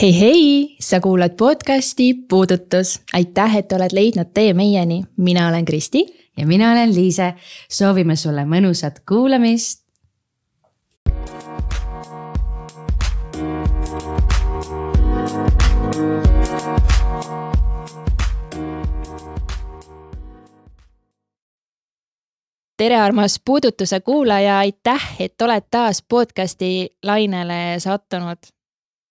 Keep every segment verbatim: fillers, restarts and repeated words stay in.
Hei hei, sa kuulad podcasti Puudutus. Aitäh, et oled leidnud tee meieni. Mina olen Kristi. Ja mina olen Liise. Soovime sulle mõnusat kuulamist. Tere armas Puudutuse kuulaja. Aitäh, et oled taas podcasti lainele sattunud.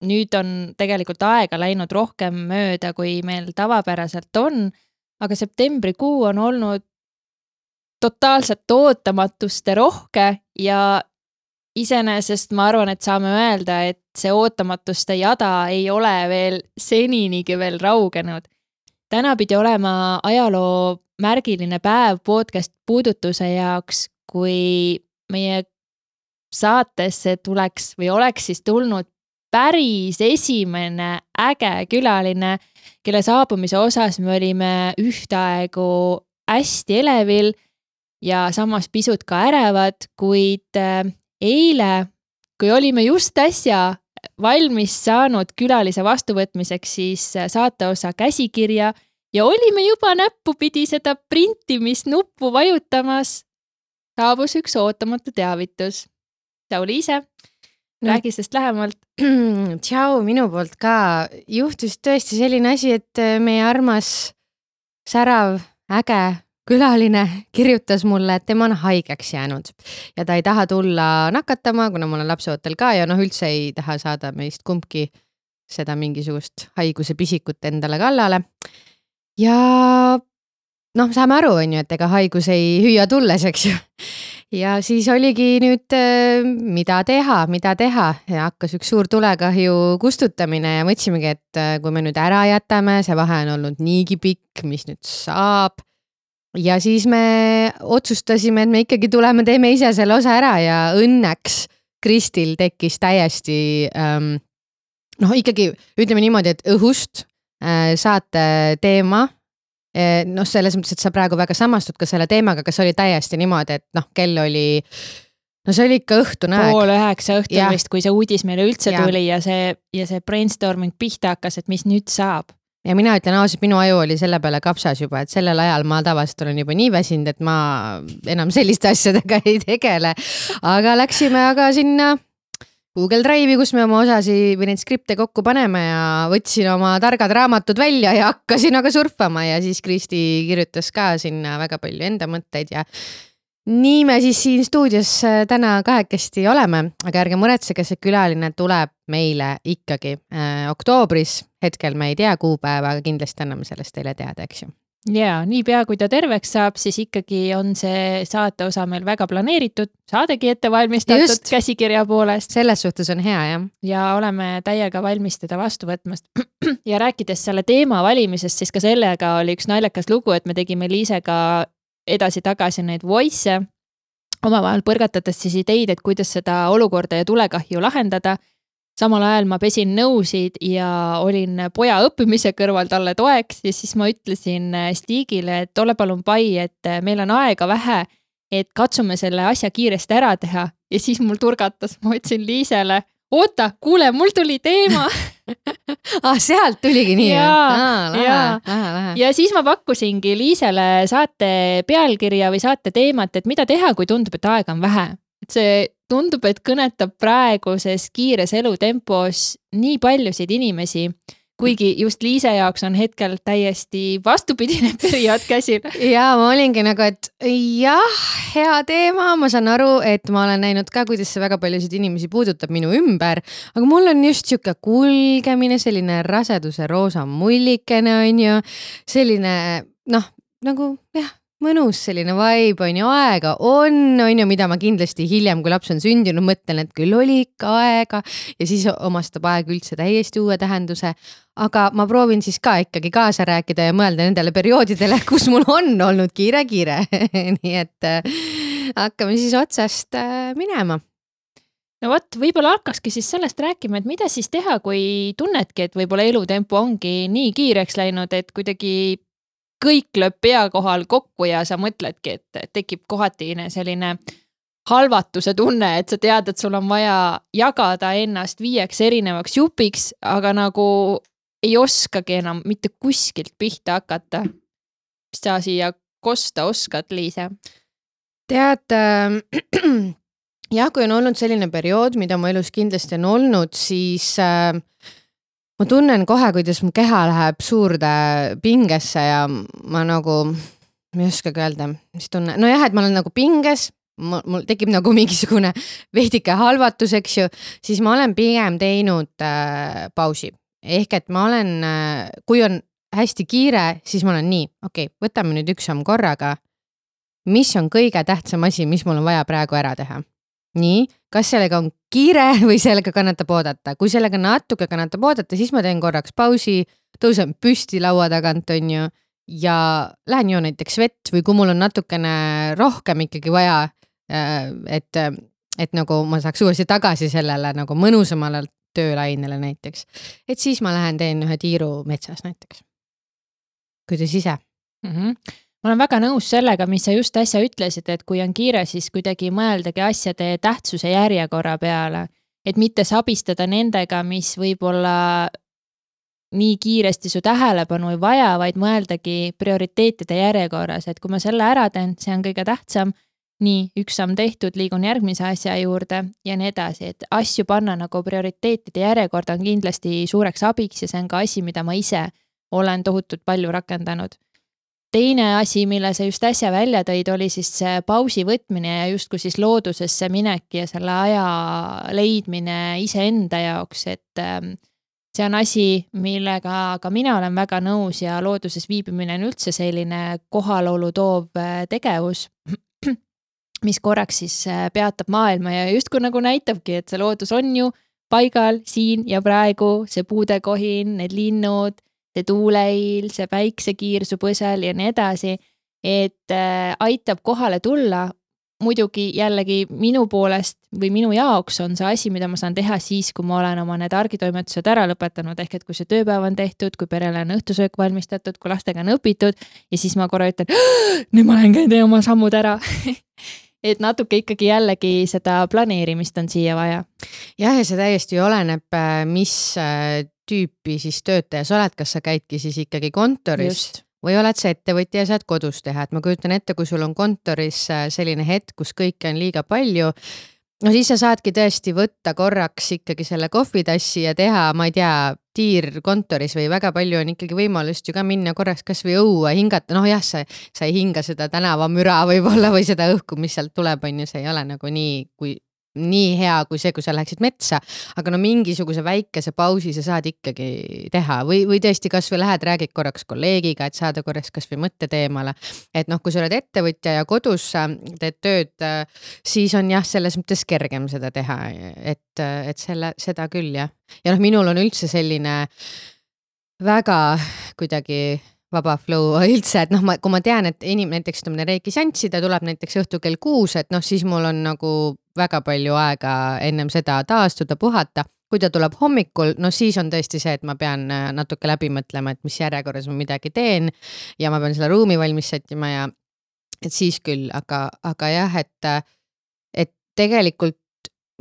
Nüüd on tegelikult aega läinud rohkem mööda, kui meil tavapäraselt on, aga septembrikuu on olnud totaalselt ootamatuste rohke ja iseenesest ma arvan, et saame öelda, et see ootamatuste jada ei ole veel seninigi veel raugenud. Täna pidi olema ajaloo märgiline päev podcast Puudutuse jaoks, kui meie saatesse tuleks või oleks siis tulnud päris esimene äge külaline, kelle saabumise osas me olime ühtaegu hästi elevil ja samas pisut ka ärevad, kuid eile, kui olime just äsja valmis saanud külalise vastuvõtmiseks, siis saateosa käsikirja ja olime juba näppupidi seda printimisnuppu vajutamas, saabus üks ootamatu teavitus. Tšau Liise, räägi sest lähemalt. Tšau, minu poolt ka. Juhtus tõesti selline asi, et meie armas särav, äge külaline kirjutas mulle, et tema on haigeks jäänud ja ta ei taha tulla nakatama, kuna mul on lapseootel ka ja noh, üldse ei taha saada meist kumbki seda mingisugust haiguse pisikut endale kallale. Ja noh, saame aru, on ju, et ega haigus ei hüüa tulles, eks ju. Ja siis oligi nüüd, mida teha, mida teha ja hakkas üks suur tulekahju kustutamine ja mõtlesimegi, et kui me nüüd ära jätame, see vahe on olnud niigi pikk, mis nüüd saab. Ja siis me otsustasime, et me ikkagi tuleme, teeme ise selle osa ära ja õnneks Kristil tekkis täiesti, ähm, noh ikkagi ütleme niimoodi, et õhust äh, saate teema. Noh, selles mõttes, et sa praegu väga samastud ka selle teemaga, kas oli täiesti niimoodi, et noh, kell oli, no see oli ikka õhtune aeg. Pool üheksa õhtul ja. Vist, kui see uudis meile üldse ja. Tuli ja see, ja see brainstorming pihta hakkas, et mis nüüd saab. Ja mina ütlen ausalt, minu aju oli selle peale kapsas juba, et sellel ajal ma tavaliselt olen juba nii väsinud, et ma enam selliste asjadega ei tegele. Aga läksime aga sinna Google Drive'i, kus me oma osasi või neid skripte kokku paneme ja võtsin oma targad raamatud välja ja hakkasin aga surfama ja siis Kristi kirjutas ka sinna väga palju enda mõtteid ja nii me siis siin stuudios täna kahekesti oleme, aga ärge muretsege, see külaline tuleb meile ikkagi äh, oktoobris, hetkel me ei tea kuupäeva, aga kindlasti anname sellest teile teada, eks ju. Ja, nii pea kui ta terveks saab, siis ikkagi on see saate osa meil väga planeeritud, saadegi ette valmistatud Just. Käsikirja poolest. Selles suhtes on hea, jah. Ja oleme täiega valmis teda vastu võtmast. Ja rääkides selle teema valimisest, siis ka sellega oli üks naljakas lugu, et me tegime Liisega edasi-tagasi neid voice, omavahel põrgatades siis ideid, et kuidas seda olukorda ja tulekahju lahendada. Samal ajal ma pesin nõusid ja olin poja õppimise kõrval talle toeks ja siis ma ütlesin Stigile, et ole palun pai, et meil on aega vähe, et katsume selle asja kiiresti ära teha. Ja siis mul turgatas, ma ütlesin Liisele, oota, kuule, mul tuli teema. ah, sealt tuligi nii. Ja, ah, lähe, ja. Lähe, lähe. ja siis ma pakkusingi Liisele saate pealkirja või saate teemat, et mida teha, kui tundub, et aega on vähe. Et see tundub, et kõnetab praeguses kiires elutempos nii paljusid inimesi, kuigi just Liise jaoks on hetkel täiesti vastupidine periood käsil. Ja ma olingi nagu, et jah, hea teema, ma saan aru, et ma olen näinud ka, kuidas see väga paljusid inimesi puudutab minu ümber, aga mul on just siuke kulgemine, selline raseduse roosa mullikene on ju, selline noh, nagu jah, mõnus selline vibe on ju, aega on, on ju, mida ma kindlasti hiljem, kui laps on sündinud, mõtlen, et küll oli ikka aega ja siis omastab aeg üldse täiesti uue tähenduse. Aga ma proovin siis ka ikkagi kaasa rääkida ja mõelda nendele perioodidele, kus mul on olnud kiire-kiire. Nii et äh, hakkame siis otsast äh, minema. No vot, võib-olla hakkaski siis sellest rääkima, et mida siis teha, kui tunnedki, et võib-olla elutempo ongi nii kiireks läinud, et kuidagi kõik lööb pea kohal kokku ja sa mõtledki, et tekib kohatine selline halvatuse tunne, et sa tead, et sul on vaja jagada ennast viieks erinevaks jupiks, aga nagu ei oskagi enam mitte kuskilt pihta hakata. Mis sa siia kosta oskad, Liise? Tead, äh, jah, kui on olnud selline periood, mida mu elus kindlasti on olnud, siis äh, ma tunnen kohe, kuidas mu keha läheb suurde pingesse ja ma nagu, ma ei oskagi öelda, mis tunne, no jah, et ma olen nagu pinges, mul tekib nagu mingisugune veidike halvatus, eks ju, siis ma olen pigem teinud äh, pausi. Ehk et ma olen, äh, kui on hästi kiire, siis ma olen nii, okei, okay, võtame nüüd üks samm korraga, mis on kõige tähtsam asi, mis mul on vaja praegu ära teha. Nii, kas sellega on kiire või sellega kannatab oodata? Kui sellega natuke kannatab oodata, siis ma teen korraks pausi, tõusen püsti laua tagant, on ju, ja lähen ju näiteks vett või kui mul on natukene rohkem ikkagi vaja, et, et nagu ma saaks uuesti tagasi sellele nagu mõnusamale töölainele näiteks, et siis ma lähen teen ühe tiiru metsas näiteks. Kuidas ise? Mm-hmm. Ma olen väga nõus sellega, mis sa just äsja ütlesid, et kui on kiire, siis kuidagi mõeldagi asjade tähtsuse järjekorra peale, et mitte sabistada nendega, mis võib-olla nii kiiresti su tähelepanu ei vaja, vaid mõeldagi prioriteetide järjekorras, et kui ma selle ära teen, see on kõige tähtsam, nii üks samm tehtud, liigun järgmise asja juurde ja nii edasi, et asju panna nagu prioriteetide järjekorda on kindlasti suureks abiks ja see on ka asi, mida ma ise olen tohutult palju rakendanud. Teine asi, mille sa just äsja välja tõid, oli siis see pausi võtmine ja justkui siis loodusesse minek ja selle aja leidmine iseenda jaoks, et see on asi, millega ka mina olen väga nõus ja looduses viibimine on üldse selline kohalolu toov tegevus, mis korraks siis peatab maailma ja justkui nagu näitabki, et see loodus on ju paigal siin ja praegu, see puudekohin, need linnud, see tuuleil, see päiksekiir su põsel ja nii edasi, et aitab kohale tulla. Muidugi jällegi minu poolest või minu jaoks on see asi, mida ma saan teha siis, kui ma olen oma need argitoimetused ära lõpetanud, ehk et kui see tööpäev on tehtud, kui perele on õhtusöök valmistatud, kui lastega on õpitud ja siis ma korra ütlen, nüüd ma lähen käin tee oma sammud ära. Et natuke ikkagi jällegi seda planeerimist on siia vaja. Jah, ja see täiesti oleneb, mis tüüpi siis töötaja sa oled, kas sa käidki siis ikkagi kontoris Just. Või oled sa ettevõtja ja saad kodus teha, et ma kujutan ette, kui sul on kontoris selline hetk, kus kõike on liiga palju, no siis sa saadki tõesti võtta korraks ikkagi selle kohvitassi ja teha, ma ei tea, tiir kontoris või väga palju on ikkagi võimalust ju ka minna korraks kas või õue hingata, noh jah, sa, sa ei hinga seda tänavamüra võib-olla või seda õhku, mis sealt tuleb, on ju, see ei ole nagu nii, kui nii hea kui see, kui sa läheksid metsa, aga no mingisuguse väikese pausi sa saad ikkagi teha või, või tõesti kas või lähed, räägid korraks kolleegiga, et saada korraks kas või mõtteteemale, et noh, kui sa oled ettevõtja ja kodus teed tööd, siis on jah, selles mõttes kergem seda teha, et, et selle, seda küll jah. Ja noh, minul on üldse selline väga kuidagi vaba flow üldse, et noh, ma, kui ma tean, et inimene näiteks tuleb reiki seanssi, ta tuleb näiteks õhtu kell kuus, et noh, siis mul on nagu väga palju aega ennem seda taastuda, puhata. Kui ta tuleb hommikul, no siis on tõesti see, et ma pean natuke läbi mõtlema, et mis järjekorras ma midagi teen ja ma pean selle ruumi valmis sättima ja et siis küll, aga, aga jah, et, et tegelikult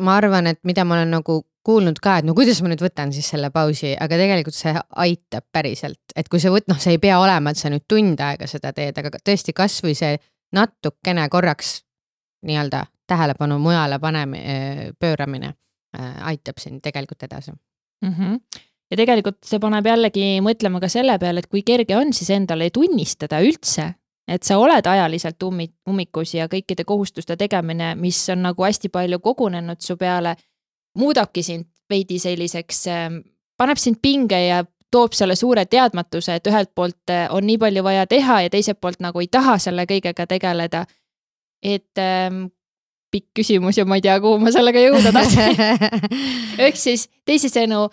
ma arvan, et mida ma olen nagu kuulnud ka, et no kuidas ma nüüd võtan siis selle pausi, aga tegelikult see aitab päriselt, et kui sa võt, noh, see ei pea olema, et sa nüüd tund aega seda teed, aga tõesti kas või see natukene korraks nii-öelda tähelepanu mujale paneme, pööramine aitab siin tegelikult edasi. Mm-hmm. Ja tegelikult see paneb jällegi mõtlema ka selle peale, et kui kerge on siis endale tunnistada üldse, et sa oled ajaliselt ummikus ja kõikide kohustuste tegemine, mis on nagu hästi palju kogunenud su peale, muudabki sind veidi selliseks, paneb sind pinge ja toob selle suure teadmatuse, et ühelt poolt on nii palju vaja teha ja teiselt poolt nagu ei taha selle kõigega tegeleda. Et ähm, pikk küsimus ja ma ei tea, kuhu ma sellega jõuda tahtsin. Ehk siis teisisõnu,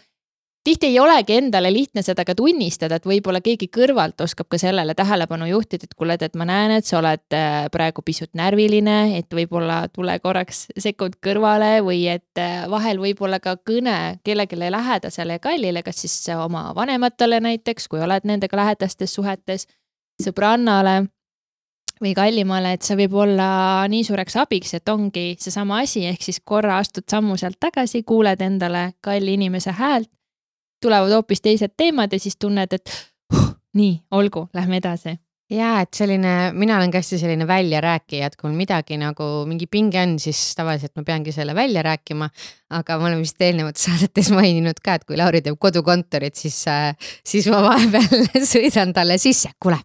tihti ei olegi endale lihtne seda ka tunnistada, et võib-olla keegi kõrvalt oskab ka sellele tähelepanu juhtida, et kuule, et ma näen, et sa oled praegu pisut närviline, et võib-olla tule korraks sekund kõrvale või et vahel võib-olla ka kõne kellegile lähedasele ja kallile, kas siis oma vanematele näiteks, kui oled nendega lähedastes suhetes, sõbrannale või kallimale, et see võib olla nii suureks abiks, et ongi seesama asi, ehk siis korra astud sammu sealt tagasi, kuuled endale kalli inimese häält, tulevad hoopis teised teemad ja siis tunned, et huh, nii, olgu, lähme edasi. Jaa, et selline, mina olen ka hästi selline välja rääkija, et kui midagi nagu mingi pinge on, siis tavaliselt ma peangi selle välja rääkima, aga ma olen vist eelnevates saadetes maininud ka, et kui Lauri teeb kodukontorit, siis, siis ma vahepeal sõidan talle sisse, kuule,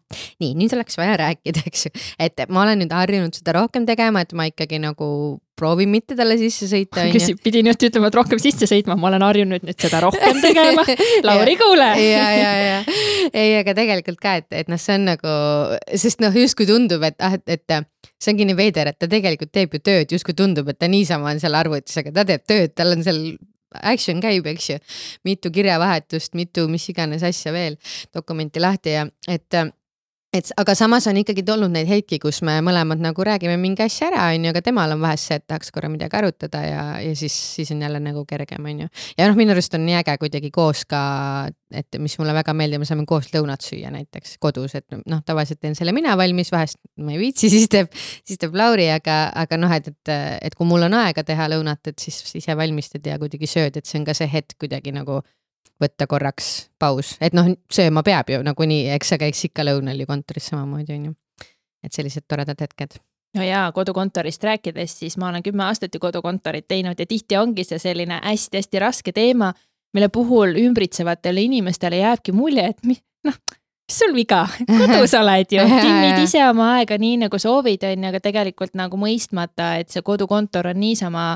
nii, nüüd oleks vaja rääkida, eks ju. Et ma olen nüüd harjunud seda rohkem tegema, et ma ikkagi nagu proovin mitte talle sisse sõita. Kes pidi nüüd ütlema, et rohkem sisse sõitma, ma olen harjunud nüüd seda rohkem tegema. Lauri, kuule! ja, ja, ja. Ei, aga tegelikult ka, et, et noh, see on nagu, sest noh, justkui tundub, et, et, et see ongi nii veider, et ta tegelikult teeb ju tööd, justkui tundub, et ta niisama on seal arvutis, aga ta teeb tööd, tal on seal action käib, eks ju, mitu kirjavahetust, mitu mis iganes asja veel, dokumenti lahti ja et et aga samas on ikkagi tulnud neid hetki, kus me mõlemad nagu räägime mingi asja ära, on ju, aga temal on vahest see, et tahaks korra midagi arutada ja, ja siis, siis on jälle nagu kergem, on ju. Ja noh, minu arust on nii äge kuidagi koos ka, et mis mulle väga meeldib, me saame koos lõunat süüa näiteks kodus, et noh, tavaliselt teen selle mina valmis, vahest ma ei viitsi, siis teeb, siis teeb Lauri, aga, aga noh, et, et, et kui mul on aega teha lõunat, et siis ise valmistad ja kuidagi sööd, et see on ka see hetk kuidagi nagu võtta korraks paus, et noh, sööma peab ju nagu nii, eks sa käiks ikka lõunal ju kontoris samamoodi on ju, et sellised toredad hetked. No jaa, kodukontorist rääkides, siis ma olen kümme aastat ju kodukontorit teinud ja tihti ongi see selline hästi-hästi raske teema, mille puhul ümbritsevatele inimestele jääbki mulje, et mi, noh, mis sul viga, kodus oled ju, timmid ise oma aega nii nagu soovid on, aga tegelikult nagu mõistmata, et see kodukontor on niisama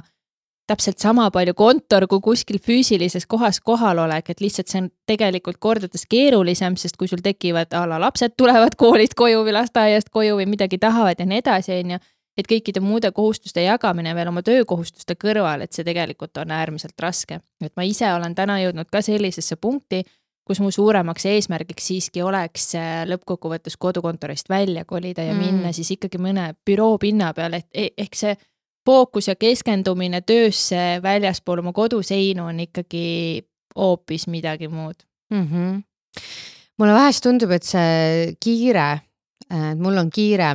täpselt sama palju kontor kui kuskil füüsilises kohas kohalolek, et lihtsalt see on tegelikult kordades keerulisem, sest kui sul tekivad ala lapsed tulevad koolist koju või lasteaiast koju või midagi tahavad ja nii edasi, on ju, et kõikide muude kohustuste jagamine veel oma töökohustuste kõrval, et see tegelikult on äärmiselt raske. Et ma ise olen täna jõudnud ka sellisesse punkti, kus mu suuremaks eesmärgiks siiski oleks lõppkokkuvõttes kodukontorist välja kolida ja mm. minna siis ikkagi mõne büroo pinna peale, et ehk see fookus ja keskendumine töösse väljaspool oma koduseinu on ikkagi hoopis midagi muud. Mm-hmm. Mulle vahest tundub, et see kiire, et mul on kiire,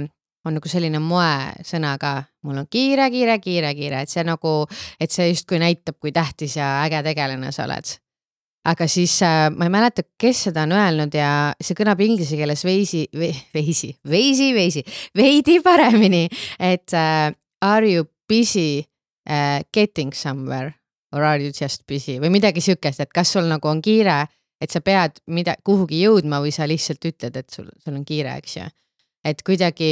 on nagu selline moe sõna ka. Mul on kiire, kiire, kiire, kiire, et see nagu, et see justkui näitab, kui tähtis ja äge tegelane sa oled. Aga siis ma ei mäleta, kes seda on öelnud ja see kõnab inglise keeles veisi, veisi, veisi, veisi, veidi paremini, et are you busy uh, getting somewhere or are you just busy või midagi sükest, et kas sul nagu on kiire, et sa pead mida, kuhugi jõudma või sa lihtsalt ütled, et sul, sul on kiire, eks ju. Et kuidagi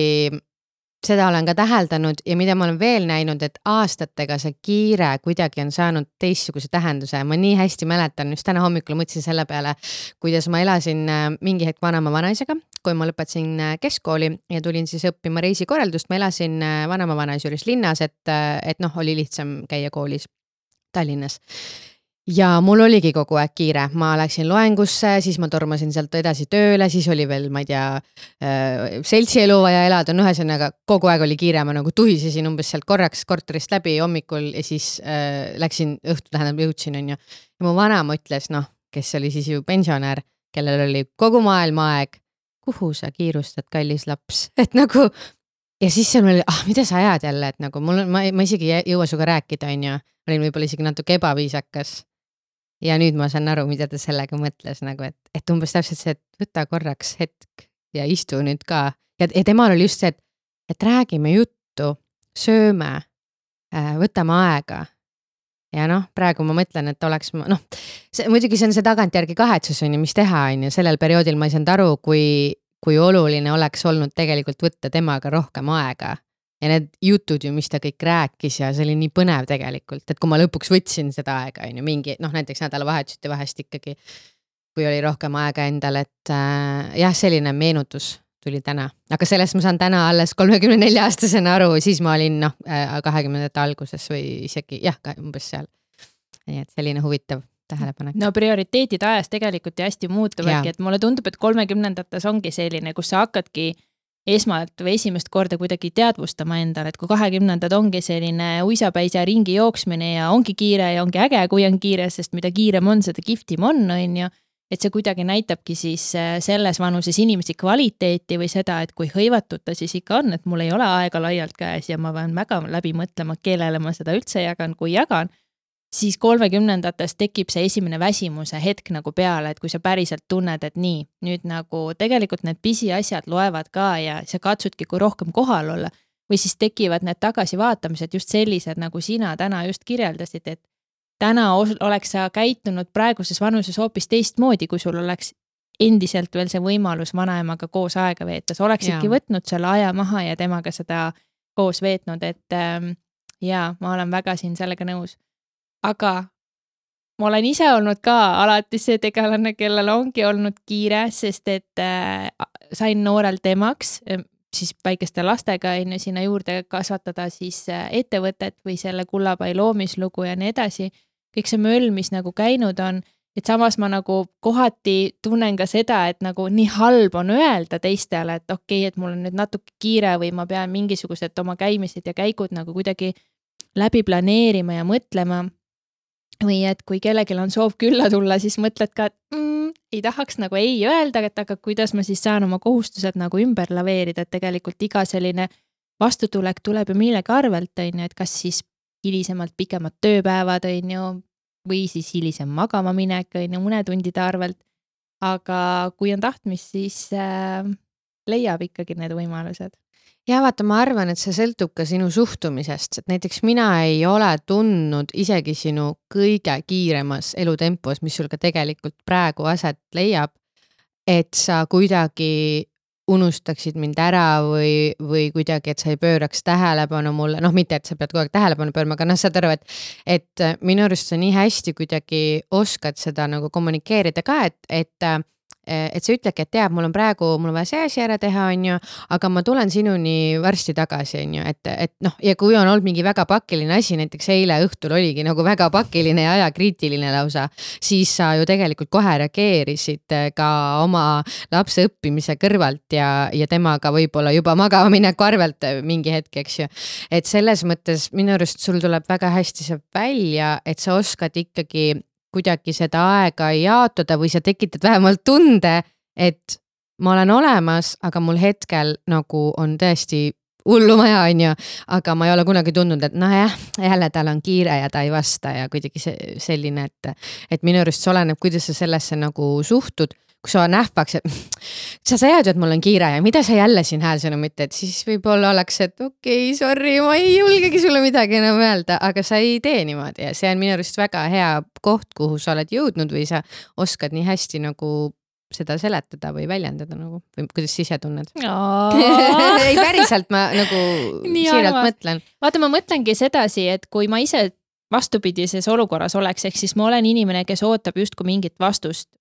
seda olen ka täheldanud ja mida ma olen veel näinud, et aastatega see kiire kuidagi on saanud teistsuguse tähenduse. Ma nii hästi mäletan, just täna hommikul mõtlesin selle peale, kuidas ma elasin mingi hetk vanama vanaisega, kui ma lõpetasin keskkooli ja tulin siis õppima reisikorraldust. Ma elasin vanama vanaisa juures linnas, et, et noh, oli lihtsam käia koolis Tallinnas. Ja mul oligi kogu aeg kiire, ma läksin loengusse, siis ma tormasin sealt edasi tööle, siis oli veel, ma ei tea, seltsielu vaja elada, no ühesõnaga kogu aeg oli kiire, ma nagu tuhisesin umbes sealt korraks korterist läbi hommikul ja siis äh, läksin õhtu, tähendab jõudsin, on ju. Ja mu vanam ütles, noh, kes oli siis ju pensionär, kellel oli kogu maailma aeg, kuhu sa kiirustad, kallis laps, et nagu, ja siis see oli, ah, mida sa ajad jälle, et nagu mul, ma, ma isegi ei jõua suga rääkida, on ju, olin võib-olla isegi natuke ebaviisakas. Ja nüüd ma saan aru, mida ta sellega mõtles, nagu, et, et umbes täpselt see, et võta korraks hetk ja istu nüüd ka. Ja, ja temal oli just see, et, et räägime juttu, sööme, võtame aega. Ja noh, praegu ma mõtlen, et oleks, noh, see, muidugi see on see tagantjärgi kahetsus, on ju, mis teha, on ju, sellel perioodil ma ei saanud aru, kui, kui oluline oleks olnud tegelikult võtta temaga rohkem aega. Ja need jutud ju, mis ta kõik rääkis ja see oli nii põnev tegelikult, et kui ma lõpuks võtsin seda aega, on ju, mingi, noh, näiteks nädala vahetusite vahest ikkagi, kui oli rohkem aega endal, et äh, jah, selline meenutus tuli täna. Aga sellest ma saan täna alles kolmekümne nelja aastasena aru, siis ma olin noh, kahekümnendate alguses või isegi, jah, umbes seal. Nii et selline huvitav tähelepanek. No prioriteedid ajas tegelikult ja hästi muutuvadki, et mulle tundub, et kolmekümnendates ongi selline, kus sa hakkadki esmalt või esimest korda kuidagi teadvustama endale, et kui kahekümnendad ongi selline uisapäisa ringi jooksmine ja ongi kiire ja ongi äge, kui on kiire, sest mida kiirem on, seda kihvtim on, on ju. et see kuidagi näitabki siis selles vanuses inimesi kvaliteeti või seda, et kui hõivatud ta siis ikka on, et mul ei ole aega laialt käes ja ma pean väga läbi mõtlema, kellele ma seda üldse jagan, kui jagan, siis kolmekümnendates tekib see esimene väsimuse hetk nagu peale, et kui sa päriselt tunned, et nii, nüüd nagu tegelikult need pisiasjad loevad ka ja sa katsudki kui rohkem kohal olla või siis tekivad need tagasivaatamised just sellised, nagu sina täna just kirjeldasid, et täna oleks sa käitunud praeguses vanuses hoopis teistmoodi, kui sul oleks endiselt veel see võimalus vanaemaga koos aega veeta. Sa oleksidki ja. võtnud selle aja maha ja temaga seda koos veetnud, et ähm, jaa, ma olen väga siin sellega nõus. Aga ma olen ise olnud ka alati see tegelane, kellel ongi olnud kiire, sest et äh, sain noorelt emaks, siis väikeste lastega enne sinna juurde kasvatada siis ettevõtet või selle Kullapai loomislugu ja nii edasi. Kõik see möll, mis nagu käinud on, et samas ma nagu kohati tunnen ka seda, et nagu nii halb on öelda teistele, et okei, et mul on nüüd natuke kiire või ma pean mingisugused oma käimised ja käigud nagu kuidagi läbi planeerima ja mõtlema. Või et kui kellelgi on soov külla tulla, siis mõtled ka, et mm, ei tahaks nagu ei öelda, et aga kuidas ma siis saan oma kohustused nagu ümber laveerida, et tegelikult iga selline vastutulek tuleb ju millegi arvelt, on ju, et kas siis hilisemalt pikemad tööpäevad, on ju, või siis hilisem magama minek, on ju, mõne tundide arvelt. Aga kui on tahtmist, siis äh, leiab ikkagi need võimalused. Ja vaata, ma arvan, et see sõltub ka sinu suhtumisest, et näiteks mina ei ole tundnud isegi sinu kõige kiiremas elutempos, mis sul ka tegelikult praegu aset leiab, et sa kuidagi unustaksid mind ära või, või kuidagi, et sa ei pööraks tähelepanu mulle, noh mitte, et sa pead kogu aeg tähelepanu pöörma, aga noh, saad aru, et, et minu arust sa nii hästi kuidagi oskad seda nagu kommunikeerida ka, et, et et sa ütledki, et teab, mul on praegu, mul on vaja see asi ära teha, on ju, aga ma tulen sinuni varsti tagasi, on ju, et, et noh, ja kui on olnud mingi väga pakiline asi, näiteks eile õhtul oligi nagu väga pakiline ja ajakriitiline lausa, siis sa ju tegelikult kohe reageerisid ka oma lapse õppimise kõrvalt ja, ja temaga võib-olla juba magama mineku arvelt mingi hetk, eks ju. Et selles mõttes minu arust sul tuleb väga hästi see välja, et sa oskad ikkagi kuidagi seda aega jaotada või sa tekitad vähemalt tunde, et ma olen olemas, aga mul hetkel nagu on tõesti hullu maja, on ju, aga ma ei ole kunagi tundnud, et noh jah, jälle tal on kiire ja ta ei vasta ja kuidagi see, selline, et, et minu arust see oleneb, kuidas sa sellesse nagu suhtud, kui sa nähvaks, et sa sajad, et mul on kiire ja mida sa jälle siin häälsõnumit, et siis võib-olla oleks, et okei, okay, sorry, ma ei julgegi sulle midagi enam öelda, aga sa ei tee niimoodi ja see on minu arust väga hea koht, kuhu sa oled jõudnud või sa oskad nii hästi nagu seda seletada või väljendada nagu, või kuidas sa ise tunned? ei päriselt, ma nagu nii siiralt arvas. Mõtlen. Vaata, ma mõtlengi sedasi, et kui ma ise vastupidises olukorras oleks, ehk siis ma olen inimene, kes ootab justkui mingit vastust.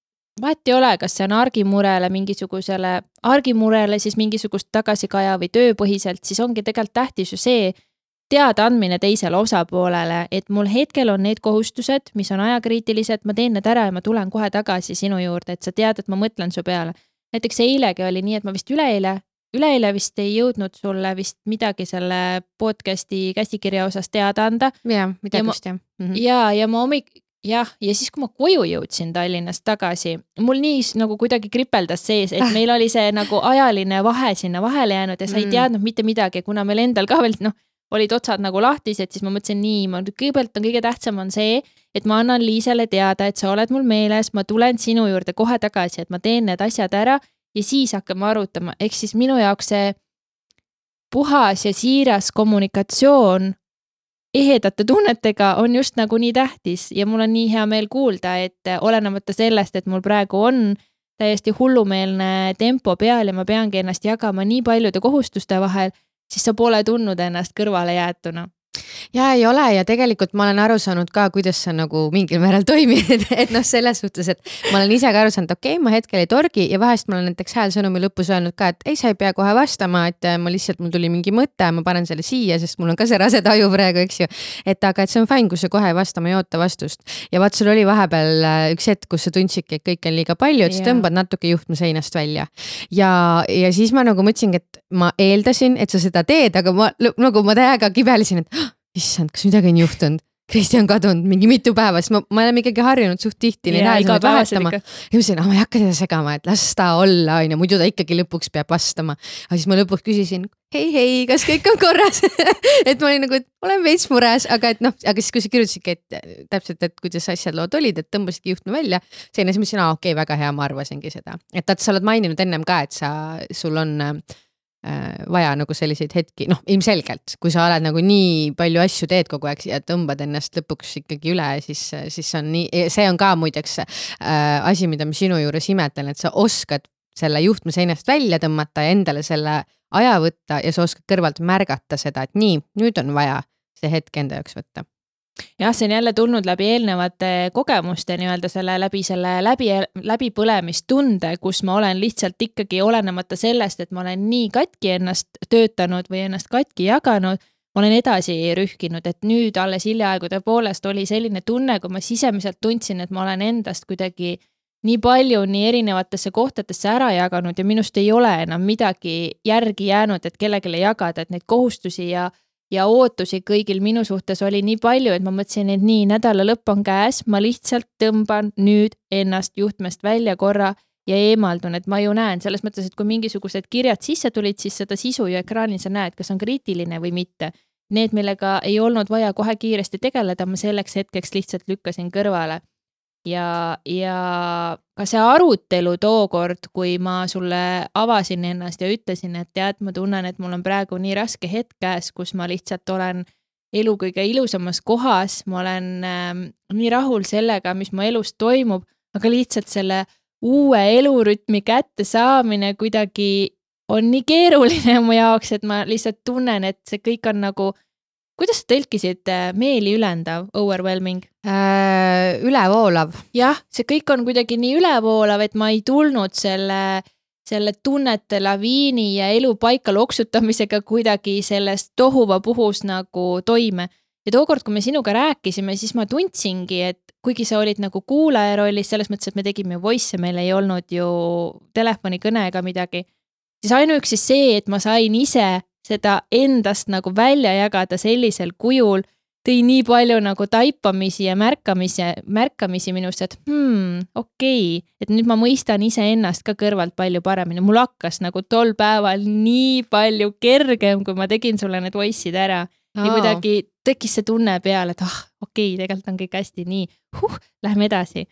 Vahet ei ole, kas see on argimurele mingisugusele, argimurele siis mingisugust tagasikaja või tööpõhiselt, siis ongi tegelikult tähtis ju see teada andmine teisele osapoolele, et mul hetkel on need kohustused, mis on ajakriitilised, ma teen need ära ja ma tulen kohe tagasi sinu juurde, et sa tead, et ma mõtlen su peale. Näiteks eilegi oli nii, et ma vist üleeile, üleeile vist ei jõudnud sulle vist midagi selle podcasti käsikirja osas teada anda. Ja, midagi vist jah. Mm -hmm. Ja, ja ma hommik jah, ja siis kui ma koju jõudsin Tallinnast tagasi, mul nii nagu kuidagi kripeldas sees, et meil oli see nagu ajaline vahe sinna vahele jäänud ja sa ei teadnud mitte midagi, kuna meil endal ka veel noh, olid otsad nagu lahtised, siis ma mõtlesin nii, ma kõigepealt on kõige tähtsam on see, et ma annan Liisele teada, et sa oled mul meeles, ma tulen sinu juurde kohe tagasi, et ma teen need asjad ära ja siis hakkame arutama, ehk siis minu jaoks see puhas ja siiras kommunikatsioon ehedate tunnetega on just nagu nii tähtis ja mul on nii hea meel kuulda, et olenemata sellest, et mul praegu on täiesti hullumeelne tempo peal ja ma peangi ennast jagama nii paljude kohustuste vahel, siis sa pole tundnud ennast kõrvale jäetuna. Ja ei ole ja tegelikult ma olen aru saanud ka, kuidas sa nagu mingil määral toimid, et noh, selles suhtes, et ma olen ise ka aru saanud, okei, okay, ma hetkel ei torgi ja vahest ma olen näiteks häälsõnumi lõpus öelnud ka, et ei, sa ei pea kohe vastama, et ma lihtsalt, mul tuli mingi mõte, ma panen selle siia, sest mul on ka see rase taju praegu, eks ju, et aga et see on fine, kui sa kohe ei vasta, ma ei oota vastust. Ja vaat sul oli vahepeal üks hetk, kus sa tundsidki, et kõik on liiga palju, et sa tõmbad natuke juhtme seinast välja. Ja, ja siis ma nagu mõtlesingi, et ma eeldasin, et sa seda teed, aga ma nagu ma täiega kibelisin, et issand, kas midagi on juhtunud? Kristi on kadunud mingi mitu päeva, sest ma, ma olen ikkagi harjunud suht tihti neid häälesid vahetama. Ja ma ütlesin, ma ei hakka seda segama, et las ta olla, on ja muidu ta ikkagi lõpuks peab vastama. Aga siis ma lõpuks küsisin, hei, hei, kas kõik on korras? et ma olin nagu, et olen veits mures, aga et noh, aga siis kui sa kirjutasidki, et täpselt, et kuidas asjad lood olid, et tõmbasidki juhtme välja, selline siis mõtlesin, aa, okei, väga hea, ma arvasingi seda. Et ta, sa oled maininud ennem ka, et sa, sul on vaja nagu selliseid hetki, noh ilmselgelt, kui sa oled nagu nii palju asju teed kogu aeg ja tõmbad ennast lõpuks ikkagi üle, siis, siis on nii, see on ka muideks äh, asi, mida ma sinu juures imetlen, et sa oskad selle juhtme seinast välja tõmmata ja endale selle aja võtta ja sa oskad kõrvalt märgata seda, et nii, nüüd on vaja see hetk enda jaoks võtta. Jah, see on jälle tulnud läbi eelnevate kogemuste nii-öelda selle läbi selle läbi, läbipõlemistunde, kus ma olen lihtsalt ikkagi olenemata sellest, et ma olen nii katki ennast töötanud või ennast katki jaganud, ma olen edasi rühkinud, et nüüd alles hiljaaegu tõepoolest oli selline tunne, kui ma sisemiselt tundsin, et ma olen endast kuidagi nii palju nii erinevatesse kohtadesse ära jaganud ja minust ei ole enam midagi järgi jäänud, et kellegile jagada, et neid kohustusi ja ja ootusi kõigil minu suhtes oli nii palju, et ma mõtlesin, et nii nädala lõpp on käes, ma lihtsalt tõmban nüüd ennast juhtmest välja korra ja eemaldun, et ma ju näen selles mõttes, et kui mingisugused kirjad sisse tulid, siis seda sisu ju ekraanil sa näed, kas on kriitiline või mitte. Need, millega ei olnud vaja kohe kiiresti tegeleda, ma selleks hetkeks lihtsalt lükkasin kõrvale. Ja, ja ka see arutelu tookord, kui ma sulle avasin ennast ja ütlesin, et tead, ma tunnen, et mul on praegu nii raske hetk käes, kus ma lihtsalt olen elu kõige ilusamas kohas, ma olen äh, nii rahul sellega, mis mu elus toimub, aga lihtsalt selle uue elurütmi kätte saamine kuidagi on nii keeruline mu jaoks, et ma lihtsalt tunnen, et see kõik on nagu kuidas sa tõlkisid meeli ülendav, overwhelming? Äh, ülevoolav. Jah, see kõik on kuidagi nii ülevoolav, et ma ei tulnud selle, selle tunnete laviini ja elu paika loksutamisega kuidagi sellest tohuva puhus nagu toime. Ja tookord, kui me sinuga rääkisime, siis ma tundsingi, et kuigi sa olid nagu kuulaja rollis, selles mõttes, et me tegime voice, meil ei olnud ju telefonikõne ega midagi, siis ainuüksi see, et ma sain ise seda endast nagu välja jagada sellisel kujul, tõi nii palju nagu taipamisi ja märkamisi, märkamisi minust, et hmm, okei, okay. Et nüüd ma mõistan ise ennast ka kõrvalt palju paremini. Mul hakkas nagu tol päeval nii palju kergem, kui ma tegin sulle need voice'id ära. Oh. Ja kuidagi tekkis see tunne peale, et ah, okei, okay, tegelikult on kõik hästi nii. Huh, lähme edasi.